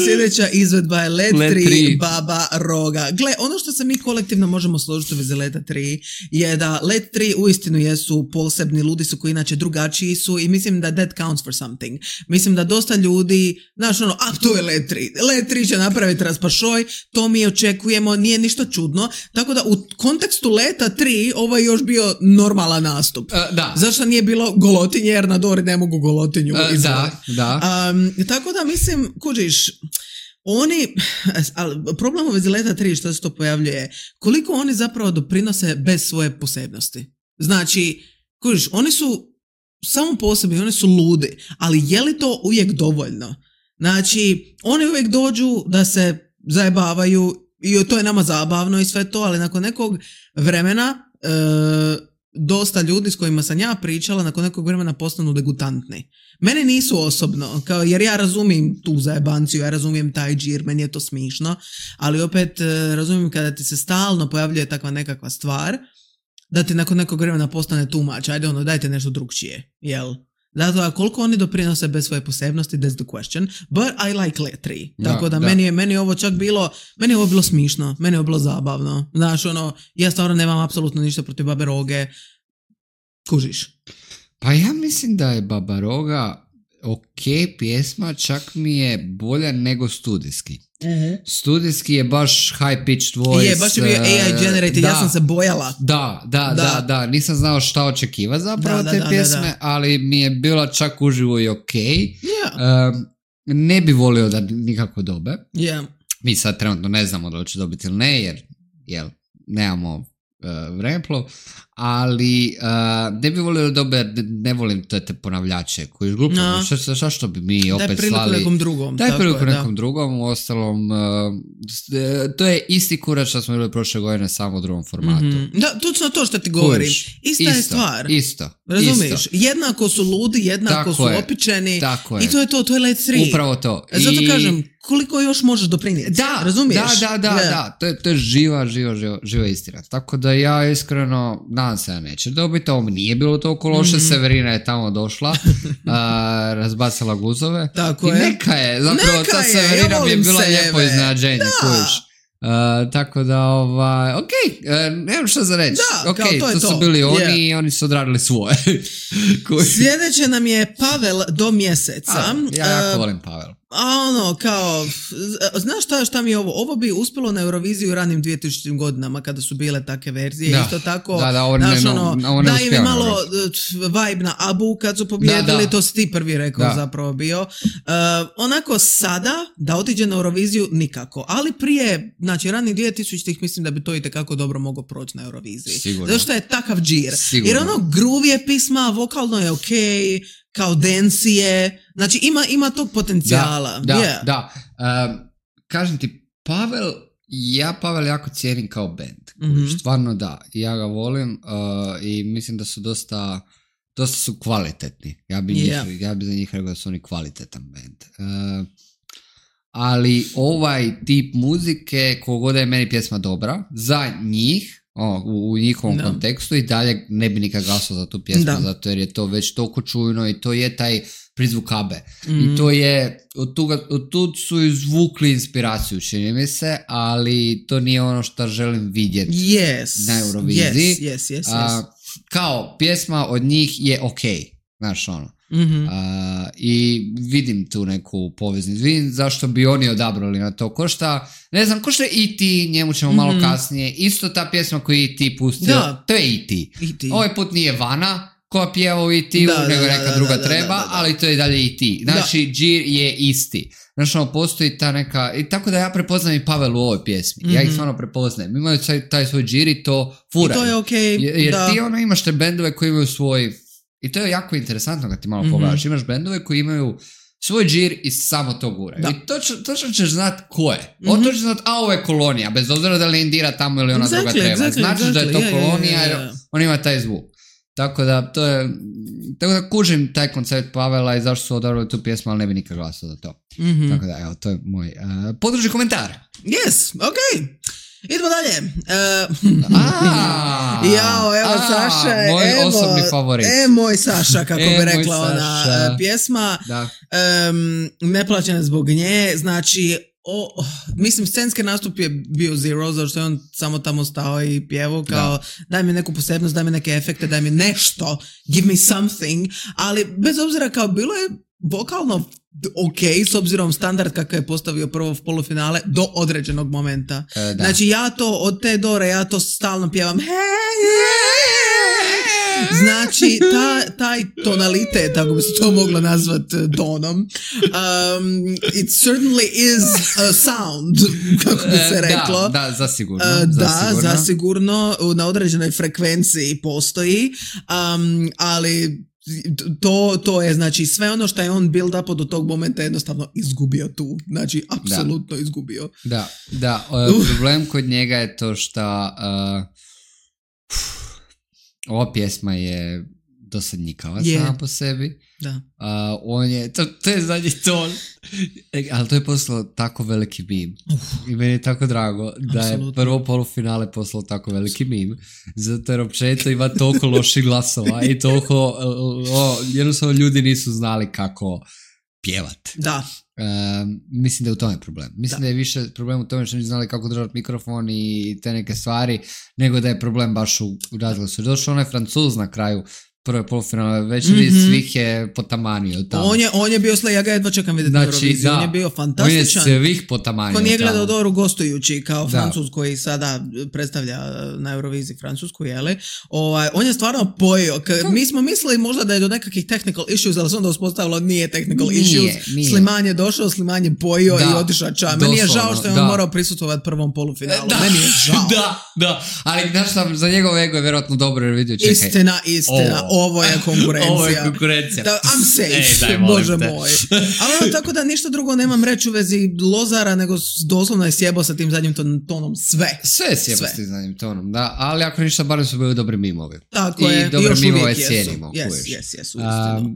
Sljedeća izvedba je Let 3 Baba Roga. Gle, ono što se mi kolektivno možemo složiti u vezi Leta 3 je da Let 3 uistinu jesu posebni, ludi su koji inače drugačiji su i mislim da that counts for something. Mislim da dosta ljudi, znaš to je Let 3. Let 3 će napraviti raspašoj, to mi očekujemo, nije ništa čudno. Tako da u kontekstu Leta 3 ovo je još bio normalan nastup. Zašto nije bilo golotinje jer na Dori ne mogu golotinju izvati. Tako da mislim, kužiš, problem u vezi Leta 3 što se to pojavljuje, koliko oni zapravo doprinose bez svoje posebnosti. Znači, kužiš, oni su samo po sebi, oni su ludi, ali je li to uvijek dovoljno? Znači, oni uvijek dođu da se zajebavaju i to je nama zabavno i sve to, ali nakon nekog vremena dosta ljudi s kojima sam ja pričala nakon nekog vremena postanu degutantni. Mene nisu osobno, jer ja razumijem tu zajebanciju, ja razumijem taj džir, meni je to smišno, ali opet razumijem kada ti se stalno pojavljuje takva nekakva stvar, da ti nakon nekog vremena postane too much, ajde dajte nešto drugčije, jel? Zato koliko oni doprinose bez svoje posebnosti, that's the question, but I like Let 3. Tako da. Meni je ovo čak bilo, meni je ovo bilo smišno, meni je ovo bilo zabavno. Znaš, ja stvarno nemam apsolutno ništa protiv Babe Roge. Kužiš? Pa ja mislim da je Baba Roga ok pjesma, čak mi je bolja nego studijski. Studijski je baš high pitched voice. Je, baš je bio AI generated, ja sam se bojala. Da, nisam znao šta očekiva zapravo te pjesme, ali mi je bila čak uživo i ok. Ne bi volio da nikako dobe. Mi sad trenutno ne znamo da li će dobiti ili ne, jer nemamo vremeplov, ali ne bi volio da dobe, ne volim te ponavljače koji glupo, što bi mi opet slali. Daj priliku nekom drugom, uostalom to je isti kurac što smo bili prošle godine samo u drugom formatu. Da, točno to što ti govorim. Ista je stvar. Isto. Razumiješ? Jednako su ludi, jednako su opičeni i to je Let 3. Upravo to. Zato kažem, koliko još možeš doprinijeti? Razumiješ? Da. To je živa istina. Tako da ja iskreno nadam se da neće dobiti. Ovo nije bilo toliko loše. Severina je tamo došla, razbacala guzove. Tako i neka je. Zapravo ta Severina bi je bila lijepo iznenađenje. Tako da, nemam što za reći. To su bili oni i oni su odradili svoje. Sljedeće nam je Pavel do mjeseca. Ja jako volim Pavel. Znaš šta mi je ovo? Ovo bi uspjelo na Euroviziju u ranim 2000 godinama kada su bile takve verzije. Isto tako, daje mi malo vibe na Abu kad su pobjedili, to si ti prvi rekao zapravo bio. Onako sada, da otiđe na Euroviziju, nikako. Ali prije, znači ranih 2000-ih mislim da bi to itekako dobro moglo proći na Euroviziji. Sigurno. Zašto je takav džir? Jer groove je pisma, vokalno je okej, kao dencije, znači ima tog potencijala. Da. Kažem ti, Pavel jako cijenim kao band. Stvarno da, ja ga volim i mislim da su dosta dosta su kvalitetni. Ja bi za njih rekao da su oni kvalitetan band. Ali ovaj tip muzike, kogod je meni pjesma dobra, za njih, u njihovom kontekstu, i dalje ne bi nikad glasao za tu pjesmu, zato jer je to već toliko čujno i to je taj prizvuk Abe. I to je, od tud su izvukli inspiraciju, čini mi se, ali to nije ono što želim vidjeti na Euroviziji. Yes. Kao pjesma od njih je okej, znaš ono. I vidim tu neku poveznicu. Vidim zašto bi oni odabrali na to. Košta E.T., njemu ćemo malo kasnije. Isto ta pjesma koju je E.T. pustio, to je E.T. Ovaj put nije Vana koja pjeva u E.T.u, nego neka druga treba, ali to je dalje E.T. Znači, džir je isti. Znači, postoji ta neka... I tako da ja prepoznam i Pavel u ovoj pjesmi. Ja ih stvarno prepoznajem. Imaju taj svoj džir i to furaju. I to je okej. Jer ti imaš te bendove koji imaju svoj... I to je jako interesantno kad ti malo pogledaš. Imaš bendove koji imaju svoj džir i samo to guraju. I točno ćeš znat ko je. Točno ćeš znat, ovo je Kolonija, bez obzira da li Indira tamo ili ona druga treba. Značiš da je to Kolonija jer on ima taj zvuk. Tako da kužim taj koncept Pavela i zašto su odabrali tu pjesmu, ali ne bi nikad glasao za to. Tako da, evo, to je moj područni komentar. Yes, okej. Idemo dalje. Evo Saša. Moj osobni favorit. Moj Saša, kako bi rekla ona pjesma. Neplaćena zbog nje. Znači, mislim, scenski nastup je bio zero, zato što je on samo tamo stao i pjevao kao daj mi neku posebnost, daj mi neke efekte, daj mi nešto, give me something. Ali bez obzira kao bilo je vokalno s obzirom standard kakav je postavio prvo polufinale do određenog momenta. Znači ja to od te dore, ja to stalno pjevam znači taj tonalitet, ako bi se to moglo nazvati tonom, it certainly is a sound, kako bi se reklo. Da, zasigurno. Zasigurno na određenoj frekvenciji postoji, ali to je, znači, sve ono što je on build up do tog momenta jednostavno izgubio tu. Znači, apsolutno izgubio. Da. Problem kod njega je to što ova pjesma je dosadnjikava sama po sebi. Da. On je, to je zadnji ton, ali to je poslao tako veliki meme. I meni je tako drago da je prvo polufinale poslao tako veliki meme, zato jer općenito ima toliko loših glasova i toliko, jednostavno ljudi nisu znali kako pjevat. Da. Mislim da je u tome problem. Mislim da je više problem u tome što nisu znali kako držati mikrofon i te neke stvari, nego da je problem baš u razglasu. Došao onaj Francuz na kraju prve polufinale večeri, svih je potamanio tamo. On je bio ja ga jedva čekam vidjeti na Euroviziji. On je bio fantastičan. On je svih potamanio. Ko nije gledao Doru gostujući kao Francuz koji sada predstavlja na Euroviziji Francusku, jeli? On je stvarno pojio. Mi smo mislili možda da je do nekakvih technical issues, ali se onda uspostavilo nije technical issues. Sliman je došao, Sliman je pojio i otišao ča. Meni je žao što je on morao prisutovati prvom polufinalu. Meni je žao. Da. Ali znaš sam, za njegov ego je vjerojatno dobro jer vidio, čekaj. Istina. Ovo je konkurencija. I'm safe, bože moj. Ali tako da ništa drugo nemam reći u vezi Lozara, nego doslovno je sjebao sa tim zadnjim tonom sve. Sve je sjebao sa tim zadnjim tonom, da. Ali ako ništa, barem su bili dobri mimovi. Tako je. I dobre mimove cijenimo. Yes,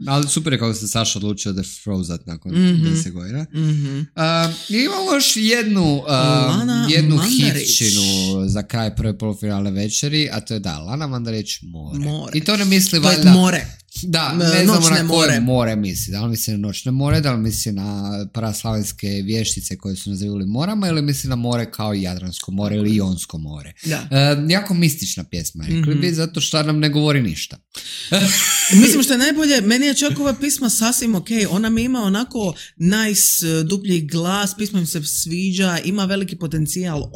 ali super je kako se Saša odlučio da Frozat nakon 10 godina. Imamo još jednu hitčinu za kraj prve polufinalne večeri, a to je Lana Mandarić, More. I to ne misli to je more. Da, ne znamo na koje more misli. Da li misli na noćne more, da li misli na praslavenske vještice koje su nazivali morama ili misli na more kao Jadransko more ili Jonsko more. Jako mistična pjesma, rekli bi, zato što nam ne govori ništa. Mislim što je najbolje, meni je čak ova pisma sasvim okej. Ona mi ima onako nice, duplji glas, pisma mi se sviđa, ima veliki potencijal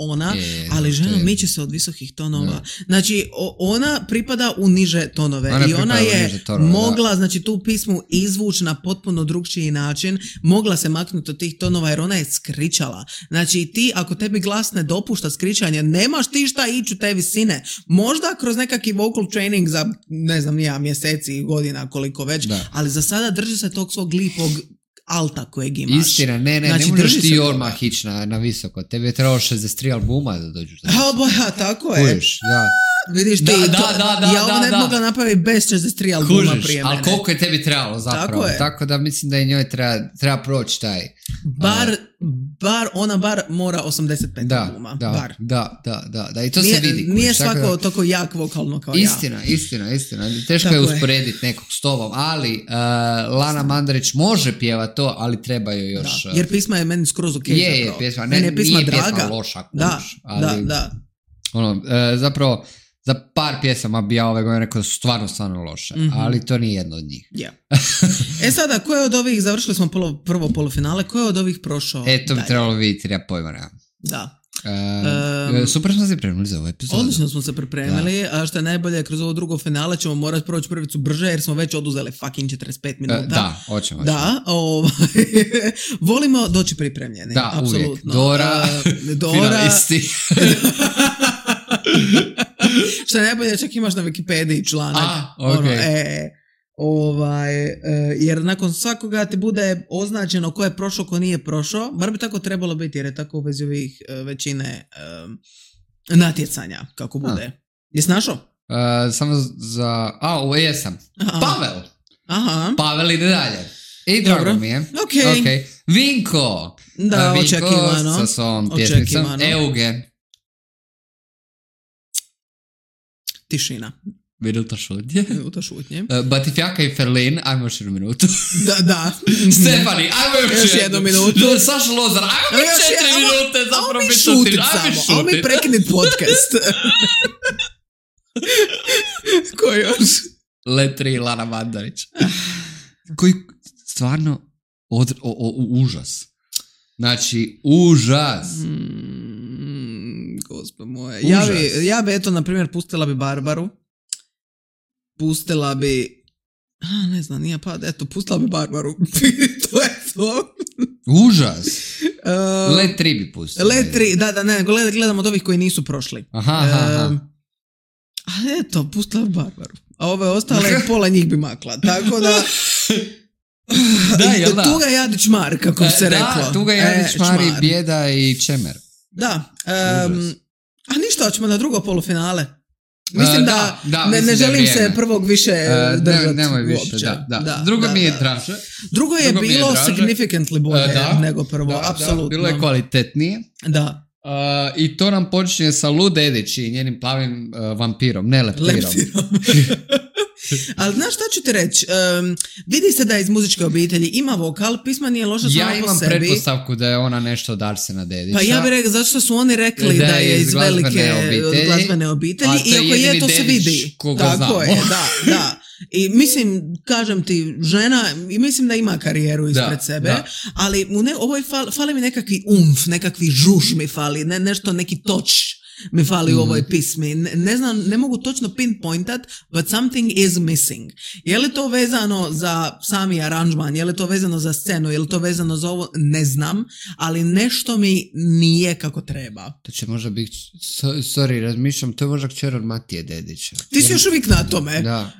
ali žena miče se od visokih tonova. Znači, ona pripada u niže tonove i ona je mogla, znači, tu pismu izvući na potpuno drugčiji način, mogla se maknuti od tih tonova jer ona je skričala. Znači, ti, ako tebi glas ne dopušta skričanje, nemaš ti šta ići u te visine. Možda kroz nekakvi vocal training za, ne znam, mjeseci, godina, koliko već, ali za sada drži se tog svog lipog alta kojeg imaš. Istina, ne Znači, možeš drži ti se odmah ići na visoko. Tebi je trebalo 63 albuma da dođeš. Tako je. Kužiš, da. Vidiš ti, ja ovo ne mogla napraviti bez 63 albuma prije mene. Ali koliko je tebi trebalo zapravo. Tako da mislim da i njoj treba proći taj. Bar mora 85 albuma. Da. I to se vidi. Nije svako toliko jak vokalno kao Istina. Teško je usporediti nekog s tobom, ali Lana Mandarić može pjevati to, ali treba joj još... Jer pisma je meni skroz ok. Je pjesma. Nije pjesma loša. Da. Zapravo, za par pjesama bi ja ove godine rekao da su stvarno loše, ali to nije jedno od njih. Yeah. Sada, ko je od ovih, završili smo prvo polufinale, ko je od ovih prošao? To bi trebalo vidjeti, ja pojma nema. Da. Super smo se pripremili za ovu epizodu. Odlično smo se pripremili, a što je najbolje, kroz ovo drugo finale ćemo morati proći prvicu brže jer smo već oduzeli fucking 45 minuta. Da, hoćemo. Da, volimo doći pripremljeni. Da, apsolutno. uvijek. Dora. Finalisti. Što je najbolje, čak imaš na Wikipediji članak. Jer nakon svakoga ti bude označeno ko je prošao, ko nije prošao. Bar bi tako trebalo biti jer je tako u vezi ovih većine natjecanja kako bude. Jesi našao? Samo za... jesam. Pavel. Aha. Pavel ide dalje. I drago mi je. Okay. Vinko. Da, Vinko očekivano. Sa svom pjesmicom. Eugen. Tišina. Minuta šutnje. Batifjaka i Ferlin, ajmo još jednu minutu. Da. Stefani, ajmo još jednu minutu. Saša Lozar, ajmo još 4 minute zapravo biti šutit. Ajmo mi prekinit podcast. Ko još? Letri Lana Mandarić. Koji stvarno užas. Znači, užas. Gospod moje. Ja bi, eto, na primjer, pustila bi Barbaru. Pustila bi... ne znam, nije pad. Eto, pustila bi Barbaru. To je to. Užas. Let 3 bi pustila. Let 3, da, ne, gledam od ovih koji nisu prošli. Aha. Ali eto, pustila bi Barbaru. A ove ostale, pola njih bi makla. Tako da... Tuga Jadić Mar, kako se reklo. Da, Tuga Jadić Mar i Bijeda i Čemer. Da. A ništa, hoćemo na drugo polufinale. Mislim da ne želim se prvog više držati. Nemoj više, uopće. Da. Drugo mi je draže. Drugo je bilo significantly bolje nego prvo, apsolutno. Bilo je kvalitetnije. Da. I to nam počinje sa Lu Dedić i njenim plavim vampirom, ne leptirom. Ali znaš šta ću ti reći? Vidi se da je iz muzičke obitelji, ima vokal, pisma nije loša sama po sebi. Ja imam pretpostavku da je ona nešto od Arsena Dedića. Pa ja bih rekao, zato što su oni rekli da je iz velike glazbene obitelji, iako je to se vidi. Tako je, da. I mislim, kažem ti, žena, i mislim da ima karijeru ispred sebe, ali ovoj fali mi nekakvi nekakvi žuž mi fali, nešto, neki toč mi fali u ovoj pismi. Ne znam, ne mogu točno pinpointat, but something is missing. Je li to vezano za sami aranžman, je li to vezano za scenu, je li to vezano za ovo, ne znam, ali nešto mi nije kako treba. To će možda biti, razmišljam, to je možda kćer od Matije Dedića. Ti si još uvijek na tome. Da.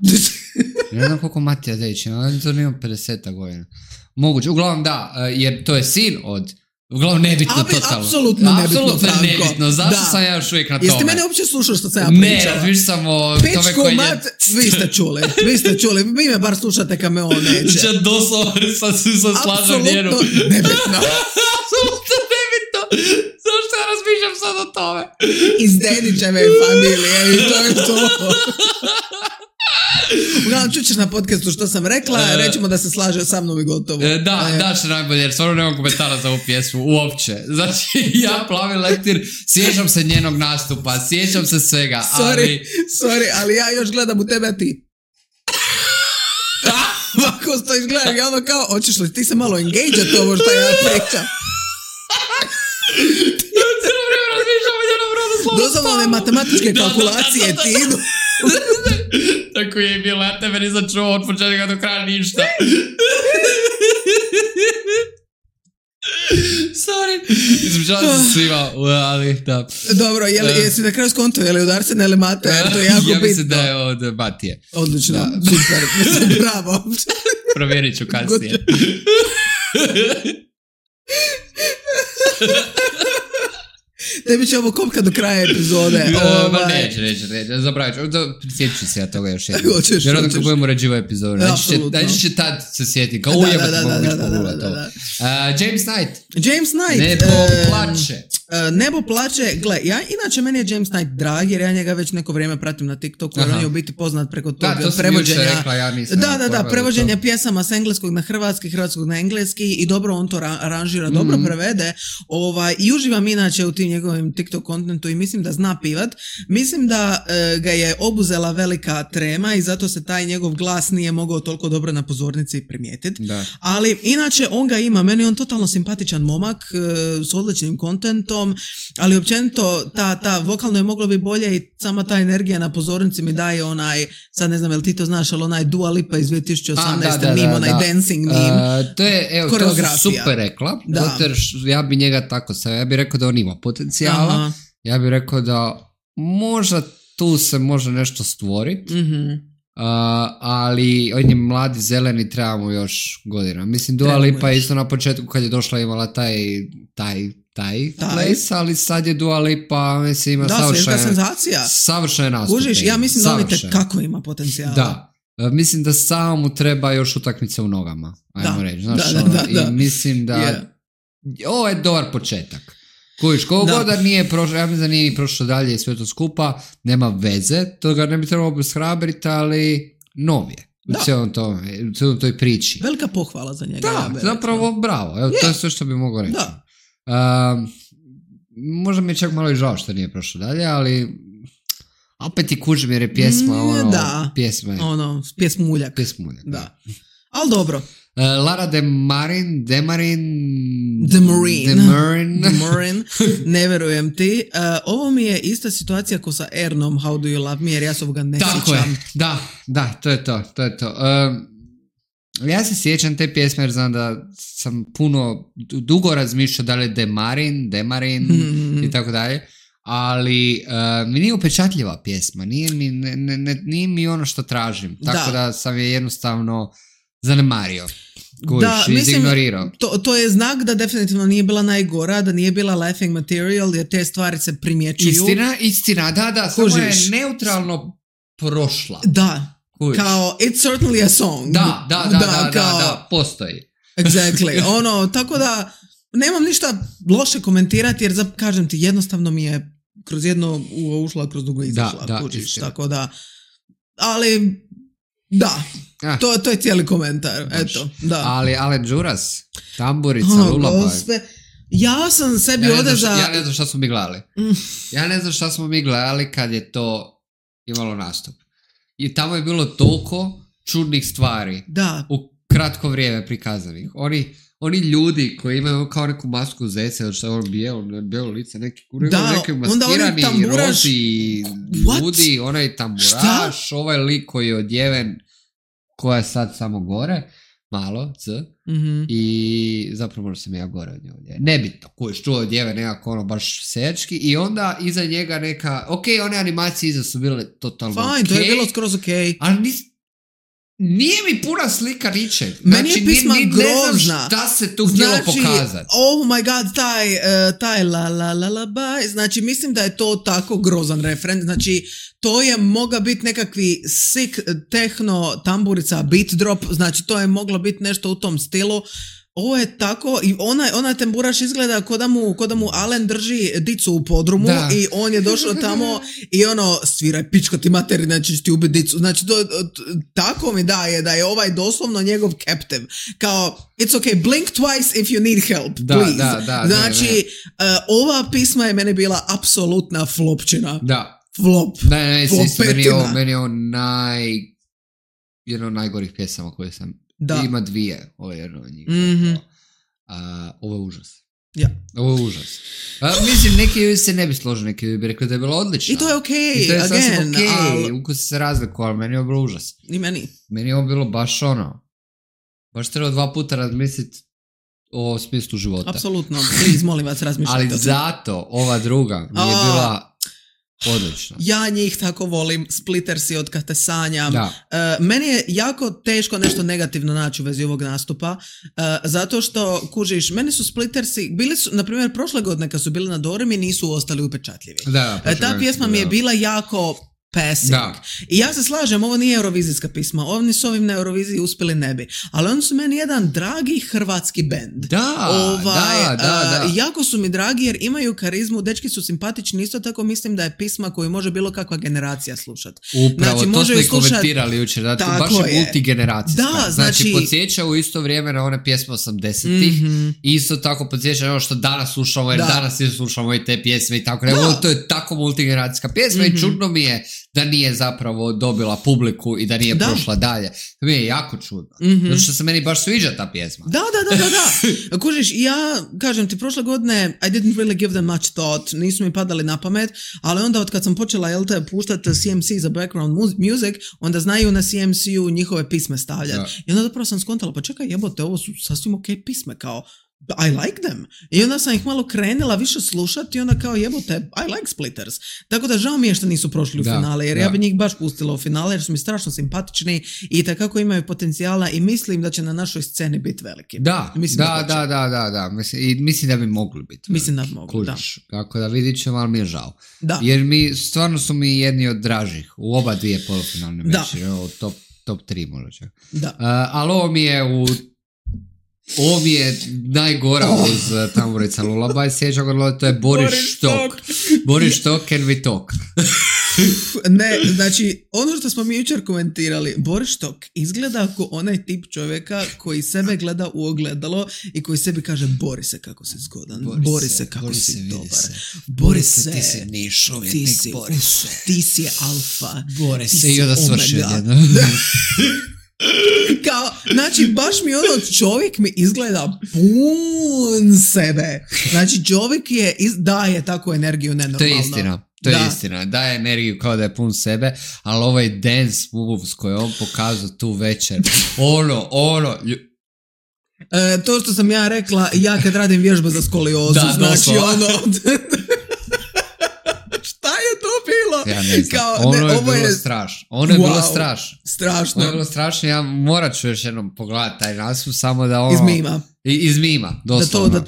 Ne znam koliko Matija Dedić ima, ali to nema 50 godina. Moguće, uglavnom da, jer to je sin od... Uglavnom nebitno totalno. Apsolutno nebitno. Zašto sam ja još uvijek na tome? Jeste mene uopće slušao što sam ja pričala? Ne, razmišljam samo o tome koji je... Vi ste čuli. Vi me bar slušate kad me on neće. Znači, doslovno sam slažem njenu. Apsolutno nebitno. Apsolutno nebitno. Zašto ja razmišljam sad o tome? Iz Dedićeve familije i to je to. Uglavnom, čućeš na podcastu što sam rekla, rećemo da se slaže sa mnom i gotovo. Da, što najbolje, jer stvarno nemam komentara za ovu pjesmu, uopće. Znači, ja Plavi leptir, sjećam se njenog nastupa, sjećam se svega, ali... Sorry, ali ja još gledam u tebe, a ti... Ovako stojiš gledam, ja ono kao, hoćeš li ti se malo engage-at ovo što ja pričam? Doslovno one matematičke kalkulacije ti idu. Tako je bilo, ja tebe nisam čuo od početka do kraja ništa. Sorry. Izvučala se svima, ali da. Dobro, jesi na kraju skonto, je li od Arsena ili Mate? To je jako bitno. Ja mislim da je od Matije. Odlično, super, bravo. Provjerit ću kasnije. Tebi će ovo kopka do kraja epizode. Neće. Zapravit ću. Prisjetit ću se ja toga još jednom. Hoćeš. Vjerojatno kad budemo ređivo epizodu. Znači će tad se sjetiti. Kao ujebati mogu biti pogula to. James Knight. Nebo plače. Nebo plače. Gle, meni je James Knight drag, jer ja njega već neko vrijeme pratim na TikToku, jer on je u biti poznat preko tog prevođenja. Rekla, ja nisam prevođenja pjesama s engleskog na hrvatski, hrvatskog na engleski i dobro on to aranžira, dobro prevede. I uživam inače u tim njegovim TikTok kontentu i mislim da zna pivat. Mislim da ga je obuzela velika trema i zato se taj njegov glas nije mogao toliko dobro na pozornici primijetiti. Ali inače on ga ima, meni je on totalno simpatičan momak s odličnim kontentom, ali općenito ta vokalno je moglo bi bolje i sama ta energija na pozornici mi daje onaj, sad ne znam jel ti to znaš, ali onaj Dua Lipa iz 2018. meme, onaj dancing meme. To je, to su super rekla, ja bi njega tako stavio, ja bih rekao da on ima potencijala, ja bih rekao da možda tu se može nešto stvoriti, ali on je mladi, zeleni, trebamo još godina. Mislim, Dua Lipa isto na početku kad je došla imala taj place, ali sad je Dua Lipa, mislim, ima savršen nastup. Kužiš, ja mislim da on kako ima potencijala. Da, mislim da samo mu treba još utakmica u nogama, ajmo reći. Znaš, i mislim da ovo je dobar početak. Kužiš, koliko god da nije prošlo, ja mislim da nije prošlo dalje i sve to skupa, nema veze, to ga ne bi trebalo obeshrabriti, ali nov je. U cijelom toj priči. Velika pohvala za njega. Da, zapravo bravo. Evo, to je sve što bi mogao reći. Možda mi je čak malo i žao što nije prošlo dalje, ali opet i kužim jer je pjesma pjesma je. Pjesmuljak. Da. Ali dobro. Lara Demarin, ne verujem ti. Ovo mi je ista situacija ko sa Ernom How Do You Love Me, jer ja se ovoga ne sjećam. Da, to je to. Ja se sjećam te pjesme jer znam da sam dugo razmišljao da li je Demarin i tako dalje, ali mi nije upečatljiva pjesma, nije mi ono što tražim, tako da sam je jednostavno zanemario. Izignorirao. To je znak da definitivno nije bila najgora, da nije bila laughing material, jer te stvari se primjećuju. Istina, da, samo je neutralno prošla. Da. Kao, it's certainly a song. Da, postoji. Exactly. Tako da, nemam ništa loše komentirati, jer kažem ti, jednostavno mi je kroz jedno ušla, kroz drugo izašla. Kužiš, tako da, ali, da. To je cijeli komentar. Eto, da. Ali Alen Đuras, tamburica, Lullaby. Ja sam sebi Ja ne znam šta smo mi gledali kad je to imalo nastup. I tamo je bilo toliko čudnih stvari u kratko vrijeme prikazanih. Oni ljudi koji imaju kao neku masku zeca ili što je bijelo lice, neki maskirani rozi ljudi, onaj tamburaš, ovaj lik koji je odjeven, koja je sad samo gore, malo, i zapravo možda sam ja gore od njega. Nebitno, koji je čuo odjeven nekako baš sejački, i onda iza njega neka, one animacije iza su bile totalno fine, to je bilo skroz ali nije mi puna slika ničeg. Meni je pisma grozna. Ne znam šta se tu htjelo pokazati. Oh my god, taj la la la la bye. Znači, mislim da je to tako grozan referent. Znači, to je mogla biti nekakvi sick techno tamburica beat drop. Znači, to je moglo biti nešto u tom stilu. Ovo je tako, i onaj tamburaš izgleda ko da mu Alen drži dicu u podrumu i on je došao tamo i sviraj pičko ti materi, znači ću ti ubiti dicu. Znači, tako mi daje da je ovaj doslovno njegov captive. Kao, it's okay, blink twice if you need help, please. Znači, ova pisma je meni bila apsolutna flopčina. Da. Meni je ovo jedno od najgorih pjesama koje sam. Ima dvije, ovo je jedno od njih. Ovo je užas. Ovo je užas. Mislim, neki se ne bi složili, neki bi rekli da je bilo odlično. I to je okej. I to je sasvim okej. Ukusi se razliku, ali meni je ovo bilo užas. I meni. Meni je ovo bilo baš baš treba 2 puta razmisliti o smislu života. Apsolutno. Please, molim vas, razmišljajte. Ali zato ova druga mi je bila Odlično. Ja njih tako volim, Splittersi od kad te sanjam. Meni je jako teško nešto negativno naći u vezi ovog nastupa, zato što, kužiš, meni su Splittersi, bili su, na primjer, prošle godine kad su bili na Doremi, nisu ostali upečatljivi. Ta pjesma mi je bila jako passing. I ja se slažem, ovo nije eurovizijska pisma, oni su ovim na Euroviziji uspjeli ne bi, ali oni su meni jedan dragi hrvatski bend. Jako su mi dragi jer imaju karizmu, dečki su simpatični, isto tako mislim da je pisma koju može bilo kakva generacija slušati. Upravo, znači, to smo i komentirali jučer, da baš je multigeneracijska. Znači, podsjeća u isto vrijeme na one pjesme 80-ih, isto tako podsjeća na ono što danas slušamo, jer danas slušamo i te pjesme i tako. To je tako multigeneracijska pjesma i čudno mi je da nije zapravo dobila publiku i da nije prošla dalje. To mi je jako čudno. Zato što se meni baš sviđa ta pjesma. Da. Kužiš, ja kažem ti, prošle godine I didn't really give them much thought, nisu mi padali na pamet, ali onda od kad sam počela puštati CMC za background music, onda znaju na CMC-u njihove pisme stavljati. I onda zapravo sam skontala, pa čekaj, jebote, ovo su sasvim ok pisme, kao I like them. I onda sam ih malo krenila više slušati i onda kao jebote, I like Splitters. Tako da žao mi je što nisu prošli u finale, jer ja bi njih baš pustila u finale, jer su mi strašno simpatični i takako imaju potencijala i mislim da će na našoj sceni biti veliki. Da. Mislim da bi mogli biti. Mislim da bi mogli, da. Tako da vidit ćemo, ali mi je žao. Jer stvarno su mi jedni od dražih u oba dvije polufinalne meče. Top 3 možda čak. Ali ovo mi je najgora uz Tamburica Lullaby, sjeća ga, to je Boris Štok. Boris Štok, Can We Talk? Ne, znači, ono što smo mi jučer komentirali, Boris Štok izgleda ako onaj tip čovjeka koji sebe gleda u ogledalo i koji sebi kaže, Borise kako si zgodan, Borise kako si dobar, Borise, ti si niš uvjetnik, Borise, ti si alfa, Borise, i onda svršio jedno. Kao, znači, baš mi čovjek mi izgleda pun sebe. Znači, čovjek daje takvu energiju nenormalno. To je istina. Daje energiju kao da je pun sebe, ali ovaj dance moves koje on pokazao tu večer, to što sam ja rekla, ja kad radim vježbe za skoliozu, znači ja ne znam. Ono je bilo strašno. Ono je bilo strašno. Strašno. Ono je bilo strašno. Ja morat ću još jednom pogledati taj naslov samo da Iz mima, doslovno.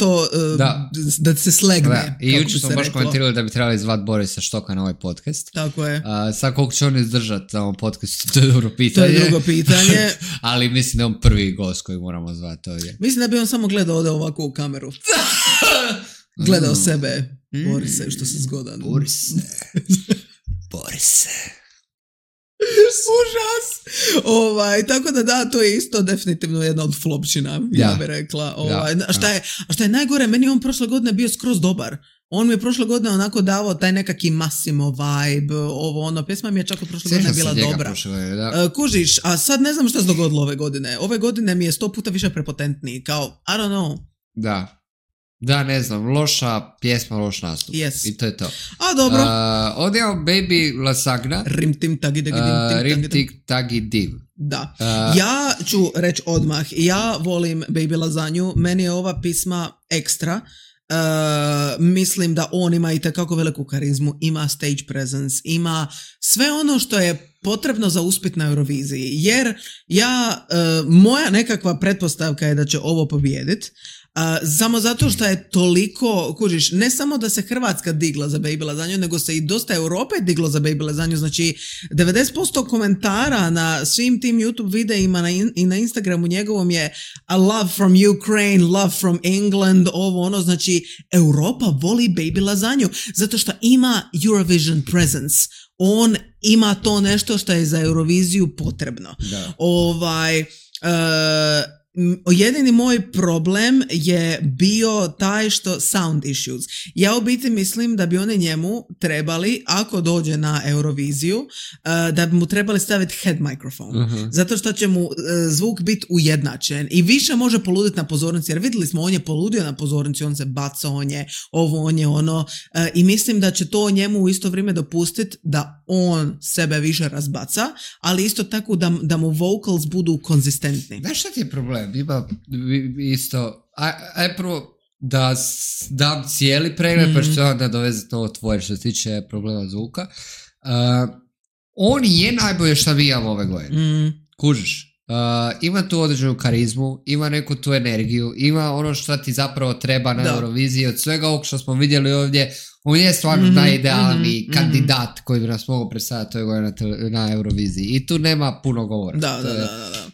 Da se slegne. Da. I jučer smo baš komentirali da bi trebali zvati Borisa Štoka na ovaj podcast. Tako je. Sad koliko će on izdržati na ovom podcastu, to je dobro pitanje. To je drugo pitanje. Ali mislim da je on prvi gost koji moramo zvati ovdje. Mislim da bi on samo gledao ovako u kameru. Gledao sebe. Borise, što si zgodan. Borise. Užas. Tako da, to je isto definitivno jedna od flopčina, ja bih rekla. A šta je najgore, meni on prošle godine bio skroz dobar. On mi je prošle godine onako davao taj nekaki Massimo vibe, pjesma mi je čak od prošle godine bila dobra. Kužiš, a sad ne znam šta se dogodilo ove godine. Ove godine mi je 100 puta više prepotentniji, kao, I don't know. Da, ne znam, loša pjesma, loš nastup. Yes. I to je to. A, dobro. Ovdje imamo Baby Lasagna. Rim tik tagi div. Da. Ja ću reći odmah, ja volim Baby Lasagnu, meni je ova pisma ekstra. Mislim da on ima itekako veliku karizmu, ima stage presence, ima sve ono što je potrebno za uspjeh na Euroviziji, jer moja nekakva pretpostavka je da će ovo pobijediti. Samo zato što je toliko, kužiš, ne samo da se Hrvatska digla za Baby Lasagnu, nego se i dosta Europe diglo za Baby Lasagnu, znači 90% komentara na svim tim YouTube videima i na Instagramu njegovom je a love from Ukraine, love from England, znači Europa voli Baby Lasagnu, zato što ima Eurovision presence, on ima to nešto što je za Euroviziju potrebno. Jedini moj problem je bio taj što sound issues. Ja u biti mislim da bi oni njemu trebali, ako dođe na Euroviziju, da bi mu trebali staviti head microphone. Zato što će mu zvuk biti ujednačen i više može poluditi na pozornici, jer vidjeli smo, on je poludio na pozornici, on se baca, on je ovo, on je ono, i mislim da će to njemu u isto vrijeme dopustiti da on sebe više razbaca, ali isto tako da mu vocals budu konzistentni. Znaš šta ti je problem? Ima isto, aj prvo da dam cijeli pregled, pa što onda dovezati ovo tvoje što se tiče problema zvuka. On je najbolje što mi imamo ove godine. Kužiš. Ima tu određenu karizmu, ima neku tu energiju, ima ono što ti zapravo treba na Euroviziji. Od svega ovog što smo vidjeli ovdje, on je stvarno najidealniji kandidat koji bi nas mogao predstaviti ove godine na Euroviziji. I tu nema puno govora. Da.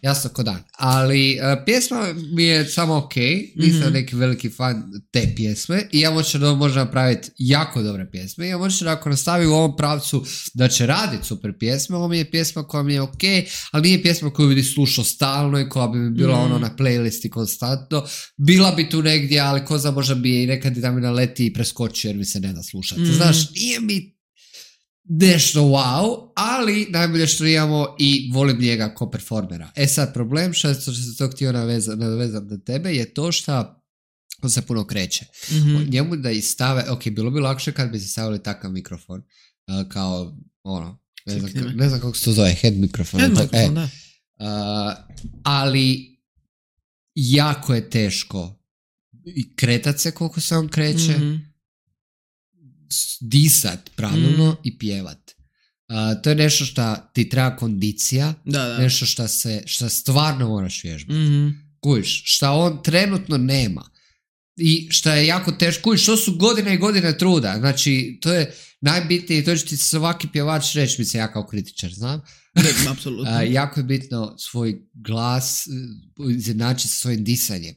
Jasno ko dan. Ali pjesma mi je samo ok. Nisam neki veliki fan te pjesme. I ja moću da može napraviti jako dobre pjesme. I ja moću da ako nastavi u ovom pravcu da će raditi super pjesme. Ovo mi je pjesma koja mi je ok, ali nije pjesma koju bi slušao stalno i koja bi mi bila ono na playlisti konstantno. Bila bi tu negdje, ali ko zna možda bi je i nekad da mi naleti i preskoči jer mi se ne da slušati. Znaš, nije mi nešto wow, ali najbolje što imamo i volim njega ko performera. Sad problem što se to htio nadovezati na tebe je to što on se puno kreće. Njemu da i stave, ok, bilo bi lakše kad bi se stavili takav mikrofon kao ono, ne znam kako se to zove, head mikrofon. Da. Ali jako je teško i kretat se koliko se on kreće, disat pravilno i pjevat. To je nešto što ti treba kondicija, nešto što stvarno moraš vježbati. Kujiš, što on trenutno nema. I što je jako teško, kujiš, to su godine i godine truda. Znači, to je najbitnije, to će ti svaki pjevač reći, mi se ja kao kritičar znam. Apsolutno. Jako je bitno svoj glas izjednačiti sa svojim disanjem.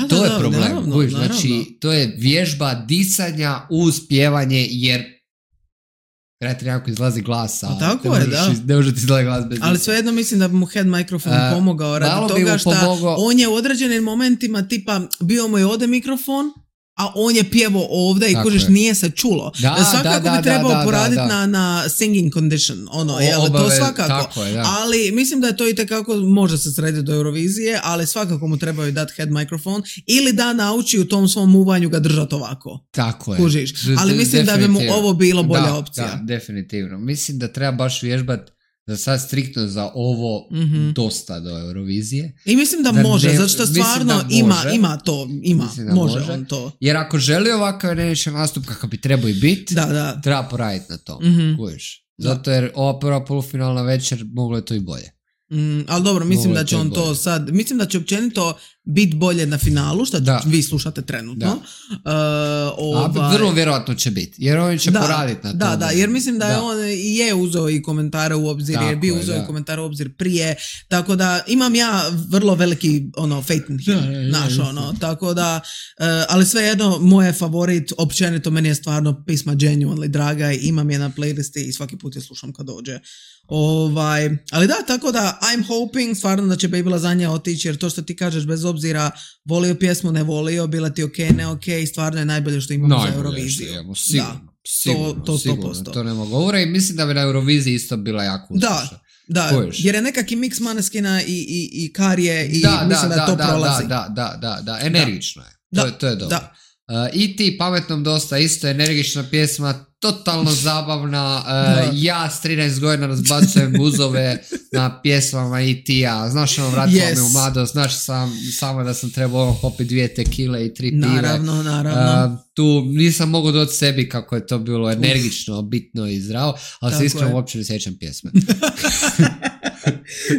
To je problem. Naravno. Znači, to je vježba disanja uz pjevanje, jer treba ti nekako izlazi glasa. Tako je, da. Ne može ti izlazi glas bez ali svejedno mislim da bi mu head mikrofon pomogao radi toga što on je u određenim momentima tipa bio mu je ovdje mikrofon, a on je pjevao ovdje i kužiš nije se čulo. Svakako bi trebao poraditi na singing condition. To svakako. Tako je, ali mislim da je to itekako može se srediti do Eurovizije, ali svakako mu trebaju dati head mikrofon ili da nauči u tom svom muvanju ga držati ovako. Tako je. Kužiš. Ali mislim da bi mu ovo bilo bolja opcija. Da, definitivno. Mislim da treba baš vježbati za sad striktno za ovo dosta do Eurovizije. I mislim da može, zato što stvarno ima to, može on to. Jer ako želi ovakav energičan nastup kakav bi trebao i biti, treba poraditi na to. Kužiš. Zato jer ova prva polufinalna večer moglo je to i bolje. Ali dobro, mislim da će on to sad, mislim da će općenito biti bolje na finalu, što vi slušate trenutno. Vrlo vjerojatno će biti, jer on će poraditi na to. Da, jer mislim da je on je uzeo i komentare u obzir, jer bi uzeo i komentare u obzir prije, tako da imam ja vrlo veliki faith in him, tako da, ali svejedno, moj favorit, općenito meni je stvarno pisma Genuinely draga i imam je na playlisti i svaki put je slušam kad dođe. Ali da, tako da I'm hoping stvarno da će Baby Lasagna otići, jer to što ti kažeš bez obzira volio pjesmu, ne volio, bila ti ok, ne ok, stvarno je najbolje što imamo za Euroviziju. Sigurno, to nema govora i mislim da bi na Euroviziji isto bila jako uspješna. Da, jer je nekak i mix Måneskin i Karije i mislim da to prolazi. Da, energično je. To je dobro. I ti pametnom dosta, isto energična pjesma, totalno zabavna. Ja s 13 godina razbacujem guzove na pjesmama E.T.-a. Znaš, vratila me u mladost, znaš samo da sam trebao popiti 2 tekile i 3 pive. Naravno. Tu nisam mogao doći sebi kako je to bilo energično, bitno i zdravo, ali se iskreno uopće ne sjećam pjesme.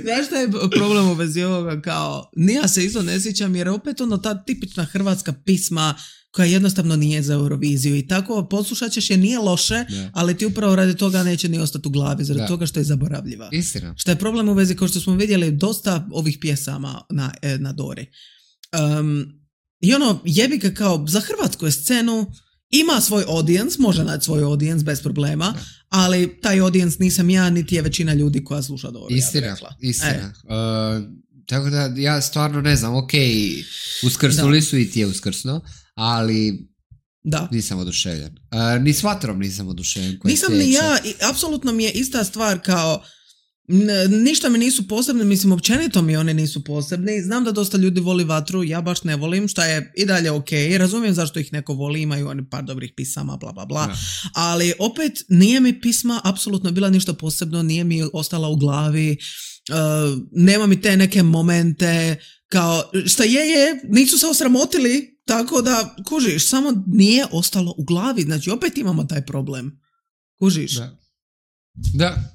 Znaš šta je problem u vezi ovoga, kao ja se isto ne sjećam, jer opet ta tipična hrvatska pisma koja jednostavno nije za Euroviziju i tako poslušat ćeš je, nije loše, ali ti upravo radi toga neće ni ostati u glavi, zbog toga što je zaboravljiva. Istina. Što je problem u vezi, kao što smo vidjeli, dosta ovih pjesama na Dori. I jebi ga kao za hrvatsku scenu ima svoj audience, može naći svoj audience bez problema, ali taj audience nisam ja, niti je većina ljudi koja sluša Dori. Istina. Tako da ja stvarno ne znam, ok, uskrsnuli su i ti je uskrsno, ali nisam oduševljen. Ni s Vatrom nisam oduševljen. Nisam ni ja, apsolutno mi je ista stvar kao ništa mi nisu posebni, mislim općenito mi oni nisu posebni. Znam da dosta ljudi voli Vatru, ja baš ne volim, šta je i dalje ok, razumijem zašto ih neko voli, imaju oni par dobrih pisama, bla bla bla, ali opet nije mi pisma apsolutno bila ništa posebno, nije mi ostala u glavi. Nema mi te neke momente kao šta je, nisu se osramotili tako da, kužiš, samo nije ostalo u glavi, znači opet imamo taj problem. Kužiš? Da.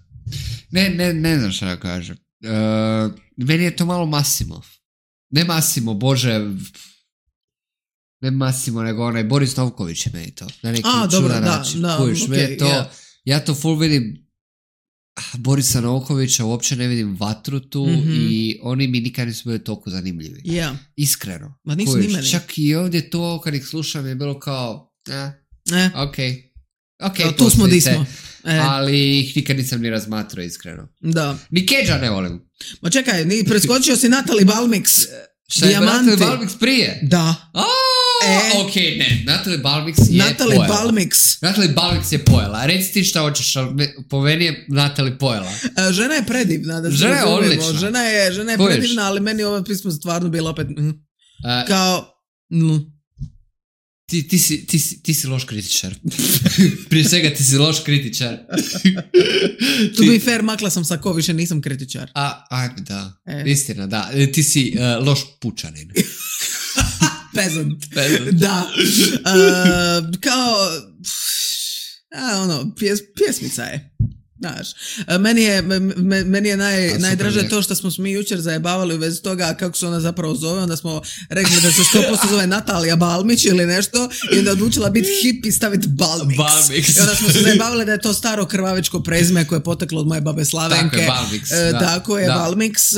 Ne znam šta da kažem. Meni je to malo Massimo. Ne Massimo, bože... Ne Massimo, nego onaj Boris Novković je meni to. Na neki čudan način. Kužiš, okay, to, yeah. Ja to full vidim Borisa Novkovića, uopće ne vidim vatru tu i oni mi nikad nisu bili toliko zanimljivi. Yeah. Iskreno. Ma nisu ni meni. Čak i ovdje to, kad ih slušam, je bilo kao, ok, tu smo di smo. Ali ih nikad nisam ni razmatrao, iskreno. Da. Ni Cage-a ne volim. Ma čekaj, preskočio si Natalie Balmix. Šta je Natalie Balmix prije? Da. Ok, ne, Natalie Balmix je pojela. Natalie Balmix je pojela. Reci ti šta hoćeš, ali po meni je Natalie pojela. Žena je predivna. Da žena je odlična. Žena je predivna, ali meni ovo pismo stvarno bilo opet kao... Ti si loš kritičar. Prije svega ti si loš kritičar. To be fair, makla sam sa ko, više nisam kritičar. Da. Istina, da. Ti si loš pučanin. Peasant. Da. Kao... pjesmica je. Znaš, meni je najdraže to što smo mi jučer zajebavali u vezi toga kako se ona zapravo zove, onda smo rekli da se 100% zove Natalija Balmić ili nešto i onda odlučila biti hip i staviti Balmix. I onda smo se zajebavali da je to staro krvavičko prezime koje je poteklo od moje babe Slavenke. Tako je Balmix. Tako je Balmix.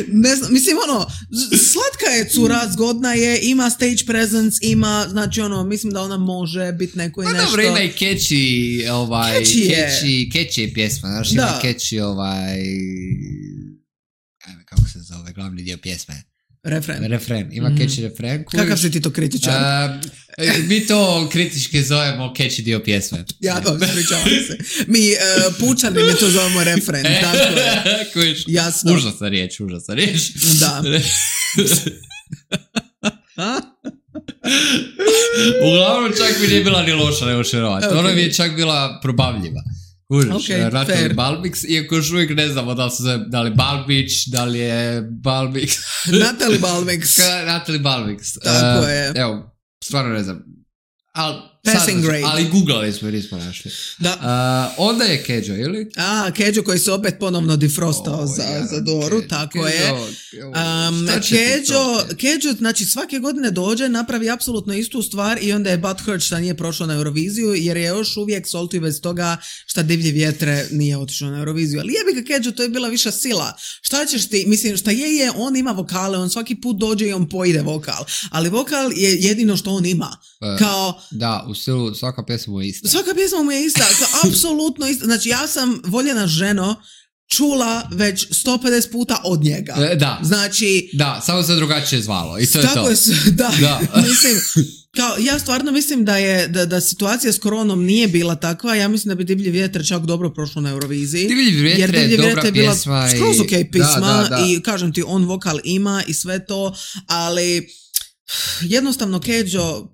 Ne znam, mislim slatka je cura, zgodna je, ima stage presence, ima, znači mislim da ona može biti neko i nešto. Dobro, ima i catchy catchy pjesma, znaš, ima catchy kako se zove, glavni dio pjesme. Refren, ima catchy refren. Kakav si ti to kritičar? Mi to kritički zovemo catchy dio pjesme. Ja, ispričavam se. Mi pučani mi to zovemo refren, tako je. Jasno. Užasna riječ. Da. Uglavnom čak mi nije bila ni loša, nego šerovati. Okay. Ona mi je čak bila probavljiva. Kužiš, Natalie Balmix, iako još uvijek ne znamo da li Balbić, da li je Balmix. Natalie Balmix. Natalie Balmix. Tako je. Evo, stvarno ne znam. Ali googlali smo i nismo našli. Da. Onda je Keđo, ili? Keđo koji se opet ponovno defrostao za Doru, tako je. Keđo, znači svake godine dođe, napravi apsolutno istu stvar i onda je butthurt šta nije prošao na Euroviziju, jer je još uvijek solti bez toga šta Divlje vjetre nije otišao na Euroviziju. Ali jebi ga Keđo, to je bila viša sila. Šta ćeš ti, mislim, šta je, on ima vokale, on svaki put dođe i on pojede vokal. Ali vokal je jedino što on ima. Kao... Da, u stilu svaka pjesma mu je ista. Svaka pjesma mu je ista, apsolutno ista. Znači ja sam, voljena ženo, čula već 150 puta od njega. Da. Znači... Da, samo se drugačije zvalo. I to je tako to. Da. Mislim, kao, ja stvarno mislim da situacija s koronom nije bila takva. Ja mislim da bi Divlji vjetar čak dobro prošlo na Euroviziji. Divlji vjetar je dobra pjesma. Skroz ok pisma i kažem ti, on vokal ima i sve to, ali... Jednostavno, Keđo,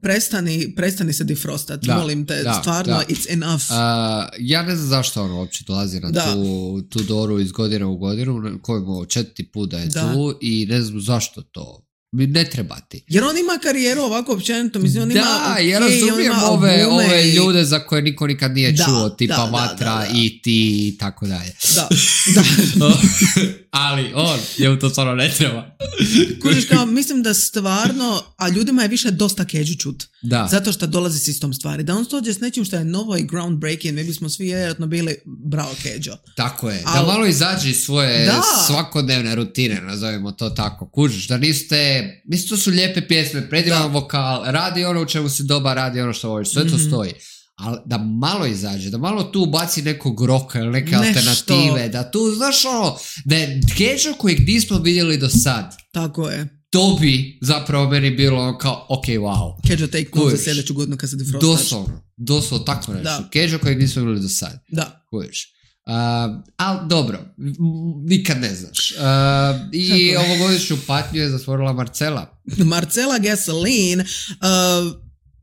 prestani se defrostat, molim te, stvarno, it's enough. Ja ne znam zašto on uopće dolazi na tu Doru iz godine u godinu, kojemu 4. put da je tu i ne znam zašto to. Ne treba ti. Jer on ima karijeru ovako općenito, mislim, on ima... Da, ja razumijem ove ljude za koje niko nikad nije čuo, tipa Vatra, i ti i tako dalje. Da. Ali on, je to stvarno ne treba. Kužiš, kao, mislim da stvarno, a ljudima je više dosta Keđu čut. Da. Zato što dolazi s istom stvari. Da on dođe s nečim što je novo i groundbreaking, mi bismo svi vjerojatno bili bravo Keđo. Tako je. Da malo izađe iz svoje svakodnevne rutine, nazovimo to tako. Kužiš, da mislim, to su lijepe pjesme, predivan vokal, radi ono u čemu si dobar, radi ono što voliš, sve to stoji. Ali da malo izađe, da malo tu baci nekog roka ili neke alternative, da tu, znaš da je Keđo kojeg nismo vidjeli do sad. Tako je. To bi zapravo meni bilo kao, ok, wow. Keđo take note za sljedeću godinu kad se defrostaš. Doslovno, tako nešto. Keđo kojeg nismo vidjeli do sad. Da. Kužiš. Ali dobro, nikad ne znaš. I ovogodišnju patnju je zatvorila Marcela. Marcela Gasoline.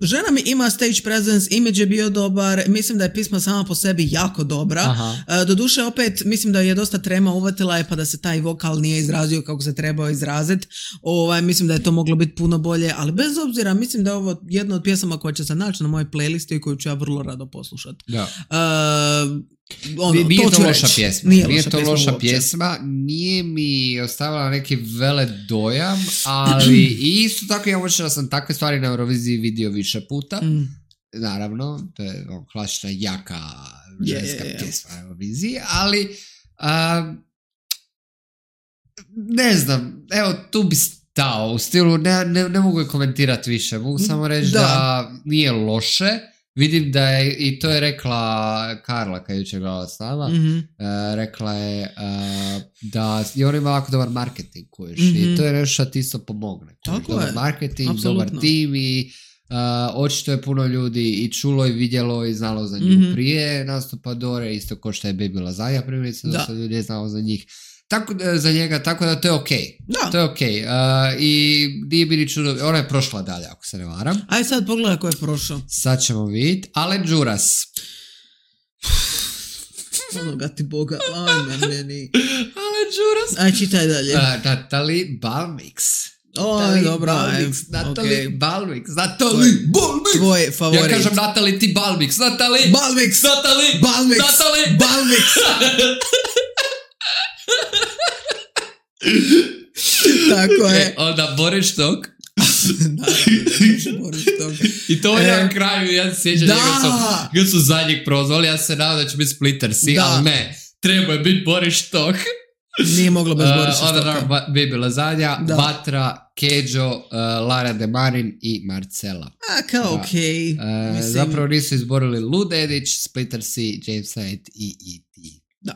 žena mi ima stage presence, image je bio dobar, mislim da je pisma sama po sebi jako dobra. Doduše opet mislim da je dosta trema uvatila je pa da se taj vokal nije izrazio kako se trebao izraziti. Mislim da je to moglo biti puno bolje, ali bez obzira mislim da je ovo jedna od pjesama koja će se naći na mojoj playlisti i koju ću ja vrlo rado poslušati. Nije to loša pjesma. Nije to loša pjesma. Nije mi ostavila neki vele dojam, ali isto tako ja možda sam takve stvari na Euroviziji vidio više puta. Naravno, to je klasična jaka ženska pjesma na Euroviziji, ali ne znam, evo tu bi stao u stilu, ne mogu je komentirati više, mogu samo reći da nije loše. Vidim da je, i to je rekla Karla kad je jučer gledala s nama, rekla je da je ona ima jako dobar marketing, i to je nešto što ti isto pomogne. Dobar marketing, Absolutno. dobar tim i očito je puno ljudi i čulo i vidjelo i znalo za nju prije nastupa Dore, isto ko što je Baby Lasagna primjerice, da se ljudi je znalo za njih. Za njega, tako da to je okej. To je okej. I nije bi ni čudo, ona je prošla dalje, ako se ne varam. Aj sad pogledaj ko je prošao. Sad ćemo vidjeti. Alen Đuras. Onoga ti Boga, ajme meni. Alen Đuras. Aj, čitaj dalje. Natalie Balmix. Natalie Balmix. Tvoj favorit. Ja kažem Natalie ti Balmix. Natalie Balmix. Tako je. Onda Boris Tok. I to je na kraju, ja se sjećam njega su zadnjeg prozvali, ja se nadam da će biti Splittersi, ali ne, treba je biti Boris Tok. Nije moglo bez Borisa Stoka. Onda Baby Lasagna, Batra, Keđo, Lara De Marin i Marcela. Kao okej. Zapravo nisu izborili Lou Dedić, Splittersi, James Hyde i E.T. Da.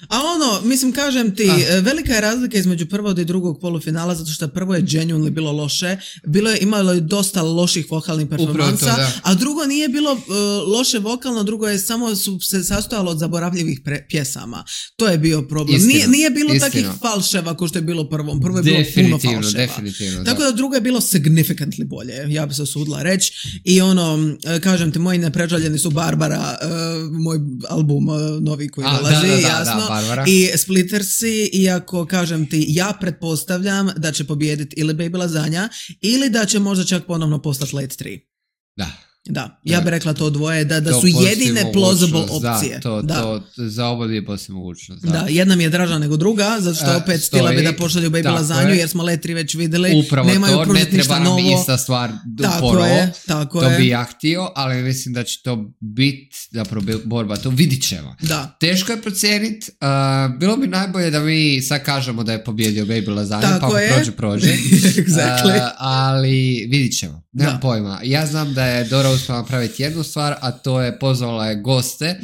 A mislim, kažem ti, velika je razlika između prvog i drugog polufinala, zato što prvo je genuinely bilo loše, imalo je dosta loših vokalnih performansa, a drugo nije bilo loše vokalno, drugo je samo se sastojalo od zaboravljivih pjesama. To je bio problem. Nije bilo takvih falševa kao što je bilo prvom. Prvo je bilo puno falševa. Definitivno. Tako da drugo je bilo significantly bolje, ja bi se usudila reći. I kažem ti, moji neprežaljeni su Barbara, moj album novi koji dolazi, jasno. Barbara. I Splittersi, iako kažem ti, ja pretpostavljam da će pobijediti ili Baby Lasagna ili da će možda čak ponovno postati Late 3. Da, ja bih rekla to dvoje, da su jedine plausible opcije. To za oba dvije postoji mogućnost. Da, jedna mi je draža nego druga, zato što opet stila bi da pošalju Baby Lasagnu, jer smo Late 3 već vidjeli. Upravo nemaju to, ne treba nam ista stvar tako to je. Bi ja htio, ali mislim da će to biti zapravo borba, to vidit ćemo. Teško je procijeniti, bilo bi najbolje da mi sad kažemo da je pobjedio Baby Lasagna, pa prođe. Exactly. Ali vidit ćemo, nemam pojma. Ja znam da je Dora uspjela napraviti jednu stvar, a to je pozvala je goste,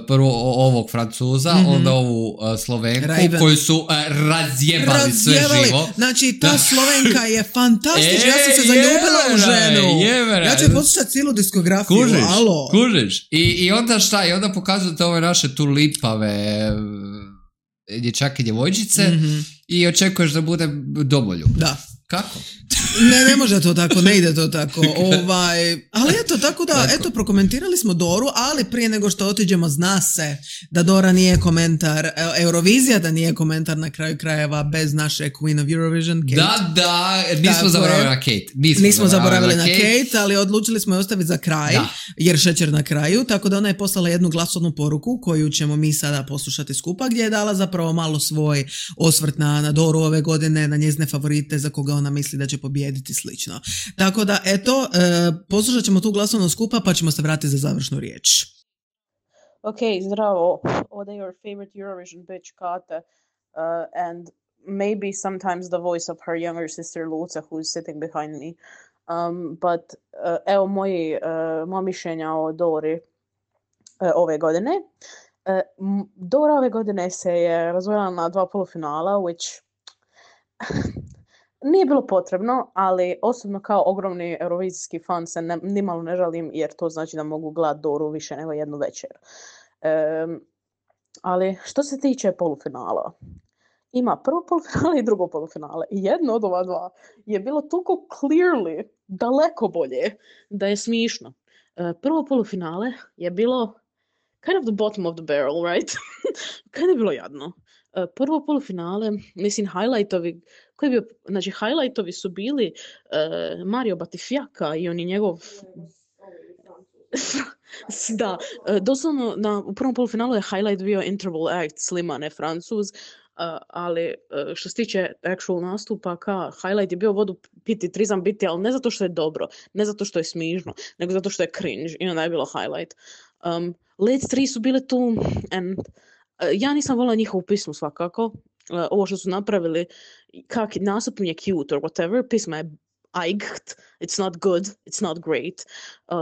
prvo ovog Francuza, onda ovu Slovenku, koju su razjebali sve živo. Znači, ta Slovenka je fantastična, ja sam se zaljubila u ženu. Ja ću poslušati cijelu diskografiju. Kužiš. I onda šta? I onda pokazujete ove naše tu lipave dječake i djevojčice i očekuješ da bude domoljub. Da. Kako? Ne može to tako, ne ide to tako. Ali eto, tako da, prokomentirali smo Doru, ali prije nego što otiđemo, zna se da Dora nije komentar, Eurovizija da nije komentar na kraju krajeva bez naše Queen of Eurovision, Kate. Da, nismo zaboravili na Kate. Nismo zaboravili na Kate, ali odlučili smo je ostaviti za kraj, jer šećer na kraju, tako da ona je poslala jednu glasovnu poruku koju ćemo mi sada poslušati skupa, gdje je dala zapravo malo svoj osvrt na Doru ove godine, na njezine favorite za koga ona misli da će pobijediti slično. Tako da, eto, poslušat ćemo tu glasovnu skupa pa ćemo se vratiti za završnu riječ. Ok, zdravo. Ovdje je your favorite Eurovision bitch Kate and maybe sometimes the voice of her younger sister Luca who's sitting behind me. But evo moja mišljenja o Dori ove godine. Dora ove godine se je razvojila na 2 polufinala, which nije bilo potrebno, ali osobno kao ogromni eurovizijski fan se nimalo ne žalim, jer to znači da mogu gledati Doru više nego jednu večer. Ali što se tiče polufinala, ima prvo polufinale i drugo polufinale. I jedno od ova dva je bilo toliko clearly daleko bolje da je smišno. Prvo polufinale je bilo kind of the bottom of the barrel, right? Kind je bilo jadno. Prvo polufinale, mislim, highlightovi, znači, highlightovi su bili Mario Batifiaka i on je njegov... Da, doslovno u prvom polufinalu je highlight bio Interval Act Slimane Francuz, ali što se tiče actual nastupa, highlight je bio vodu piti, trizam biti, ali ne zato što je dobro, ne zato što je smižno, nego zato što je cringe i onda je bilo highlight. Led 3 su bile tu, and ja nisam volila njihovu pismu svakako. Ovo što su napravili, kak nastup mi je cute or whatever, pisma je eicht, it's not good, it's not great.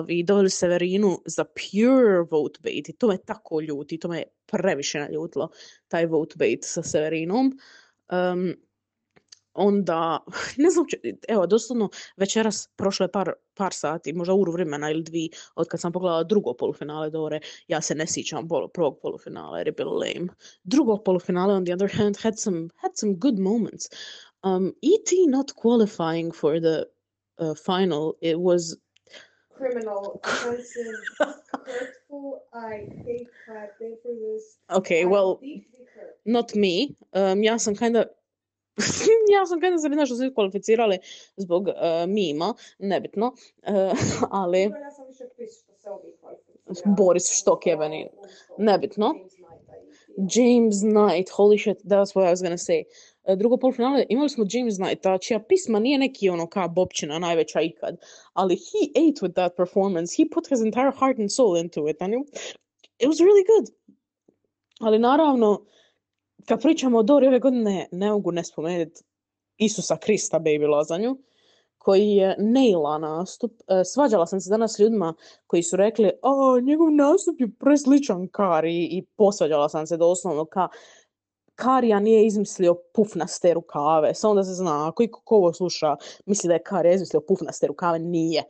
I doveli Severinu za pure vote bait i to me tako ljuti, to me previše naljutilo, taj vote bait sa Severinom. Onda, ne znam, evo, doslovno večeras prošlo je par sati, možda uru vremena ili dvi, od kad sam pogledala drugo polufinale Dore, ja se ne sjećam prvog polufinala jer je bilo lame. Drugo polufinale, on the other hand, had some good moments. E.T. not qualifying for the final, it was... Criminal, offensive, hurtful, I hate clapping for this. Okay, well, not me. Ja sam kinda sredina što su ih kvalificirali zbog mima, nebitno, ali... Ja sam više pis što se ovih kvalificirali. Boris Štokjeveni, nebitno. James Knight, holy shit, that's what I was gonna say. Drugo polufinale imali smo James Knighta, čija pisma nije neki ono ka Bobčina najveća ikad, ali he ate with that performance. He put his entire heart and soul into it, and it was really good. Ali naravno, kad pričamo o Dori ove godine, ne mogu ne spomenuti Isusa Krista Baby Lazanju, koji je naila nastup. Svađala sam se danas s ljudima koji su rekli, njegov nastup je presličan Kari, i posvađala sam se doslovno Karija nije izmislio pufnaste rukave, samo da se zna, ako ko ovo sluša misli da je Karija izmislio pufnaste rukave, nije.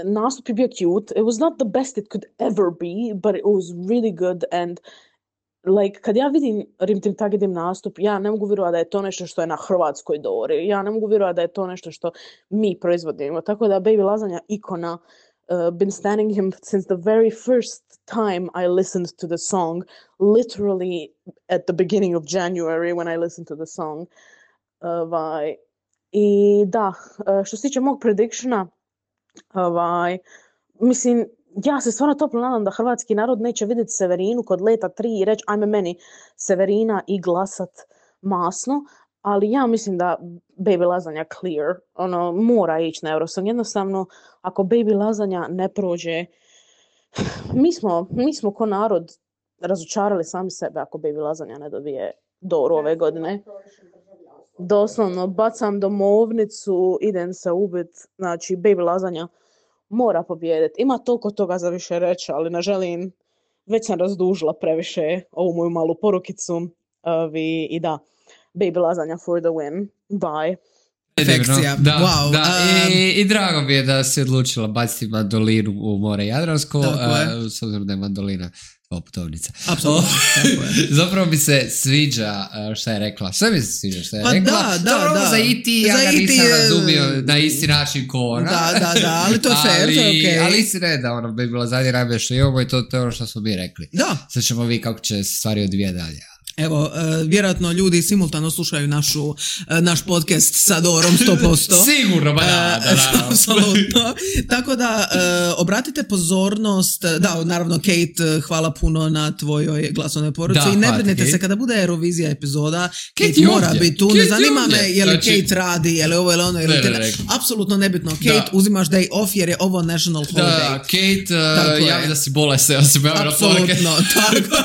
Nastup je bio cute, it was not the best it could ever be, but it was really good, and like, kad ja vidim Rim Tim Tagedim nastup, ja ne mogu vjerovati da je to nešto što je na hrvatskoj Dori, ja ne mogu vjerovati da je to nešto što mi proizvodimo, tako da Baby Lazanja ikona, been standing him since the very first time I listened to the song, literally at the beginning of January when I listened to the song. I da, što se tiče mog predictiona, mislim, ja se stvarno toplo nadam da hrvatski narod neće vidjeti Severinu kod Leta 3 i reći ajme meni Severina i glasat masno, ali ja mislim da Baby Lazanja clear, mora ići na Eurosong. Jednostavno, ako Baby Lazanja ne prođe, mi smo ko narod razočarali sami sebe ako Baby Lazanja ne dobije Doru ove godine. Doslovno, bacam domovnicu, idem se ubit, znači Baby Lazanja mora pobijediti. Ima toliko toga za više reći, ali ne želim, već sam razdužila previše ovu moju malu porukicu. I da, Baby Lazanja for the win. Bye. Perfekcija. Da, wow. Da. I drago mi je da si odlučila baciti mandolinu u more Jadransko, s obzirom da je mandolina putovnica. Apsolutno. Zapravo mi se sviđa šta je rekla. Sve mi se sviđa šta je rekla. Da. Za E.T. ja ga nisam razumio na isti način ko ona. Da, ali to je fair, to je okej. Ali istina je da bi bila zadnje najbolje što imamo i to je ono što smo mi rekli. Da. Sad ćemo vidjeti kako će stvari odvijeti dalje. Evo, vjerojatno ljudi simultano slušaju naš podcast sa Dorom 100%. Sigurno, da. Apsolutno. Tako da, obratite pozornost, da, naravno, Kate, hvala puno na tvojoj glasovnoj poruci. I ne brinite se, kada bude Eurovizija epizoda, Kate mora biti tu. Ne zanima me je li Kate radi, je li ovo ili ono, apsolutno nebitno. Kate, uzimaš day off jer je ovo national holiday. Da, Kate, javi da si bolesna, ja sam javila poruke. Apsolutno, tako.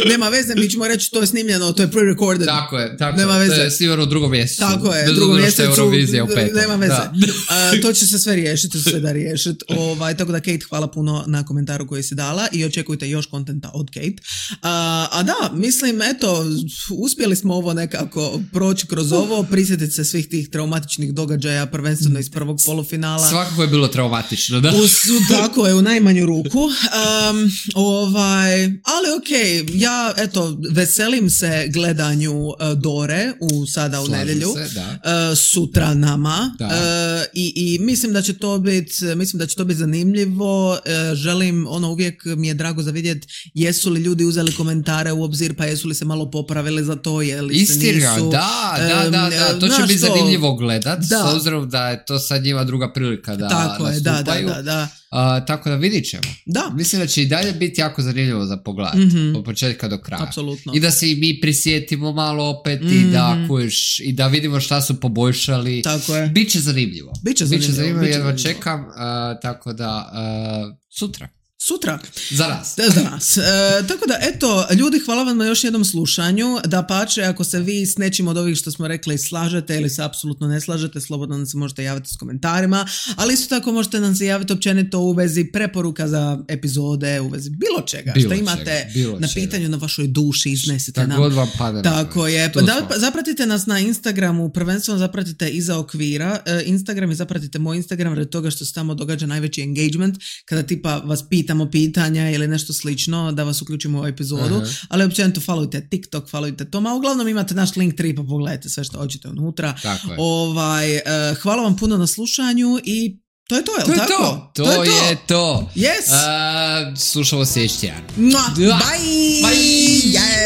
Nema veze, mi ćemo reći to je snimljeno, to je pre-recorded. Tako je, nema veze. To je snimljeno u drugom mjesecu. Tako je, bez drugom mjesecu, Eurovizija u petom. Nema veze. To će se sve riješiti, tako da Kate, hvala puno na komentaru koji si dala i očekujte još kontenta od Kate. A da, mislim, eto, uspjeli smo ovo nekako proći kroz ovo, prisjetiti se svih tih traumatičnih događaja, prvenstveno iz prvog polufinala. Svakako je bilo traumatično, da. Tako je, u najmanju ruku. Ali okej, ja, eto, veselim se gledanju Dore sada u Slažem nedjelju. se, da. Sutra nama. Da. I mislim da će to biti zanimljivo. Želim, uvijek mi je drago za vidjeti jesu li ljudi uzeli komentare u obzir, pa jesu li se malo popravili za to, Istina, nisu. Da, to će biti zanimljivo gledat, Da. s obzirom da je to sad njima druga prilika da Tako je, nastupaju. da. Tako da vidit ćemo. Da. Mislim da će i dalje biti jako zanimljivo za pogled, od početka do kraja. Apsolutno. I da se i mi prisjetimo malo opet i da kuješ, i da vidimo šta su poboljšali. Tako je. Biće zanimljivo. Biće zanimljivo, jedva čekam, tako da sutra. Za nas. Za nas. Tako da, eto, ljudi, hvala vam na još jednom slušanju. Da pače, ako se vi s nečim od ovih što smo rekli slažete ili se apsolutno ne slažete, slobodno nam se možete javiti s komentarima, ali isto tako možete nam se javiti općenito u vezi preporuka za epizode, u vezi bilo čega što imate na pitanju na vašoj duši, iznesite nam. God vam padne. Tako je. Zapratite nas na Instagramu, prvenstveno zapratite Iza okvira. Instagram i zapratite moj Instagram radi toga što se tamo događa najveći engagement, kada tipa vas pitamo pitanja ili nešto slično da vas uključimo u epizodu, ali općenito followujte TikTok, followujte to, uglavnom imate naš Linktree pa pogledajte sve što hoćete unutra. Hvala vam puno na slušanju i to je to, je li tako? To je to. Yes. Slušamo sljedeći tjedan. Bye! Yes!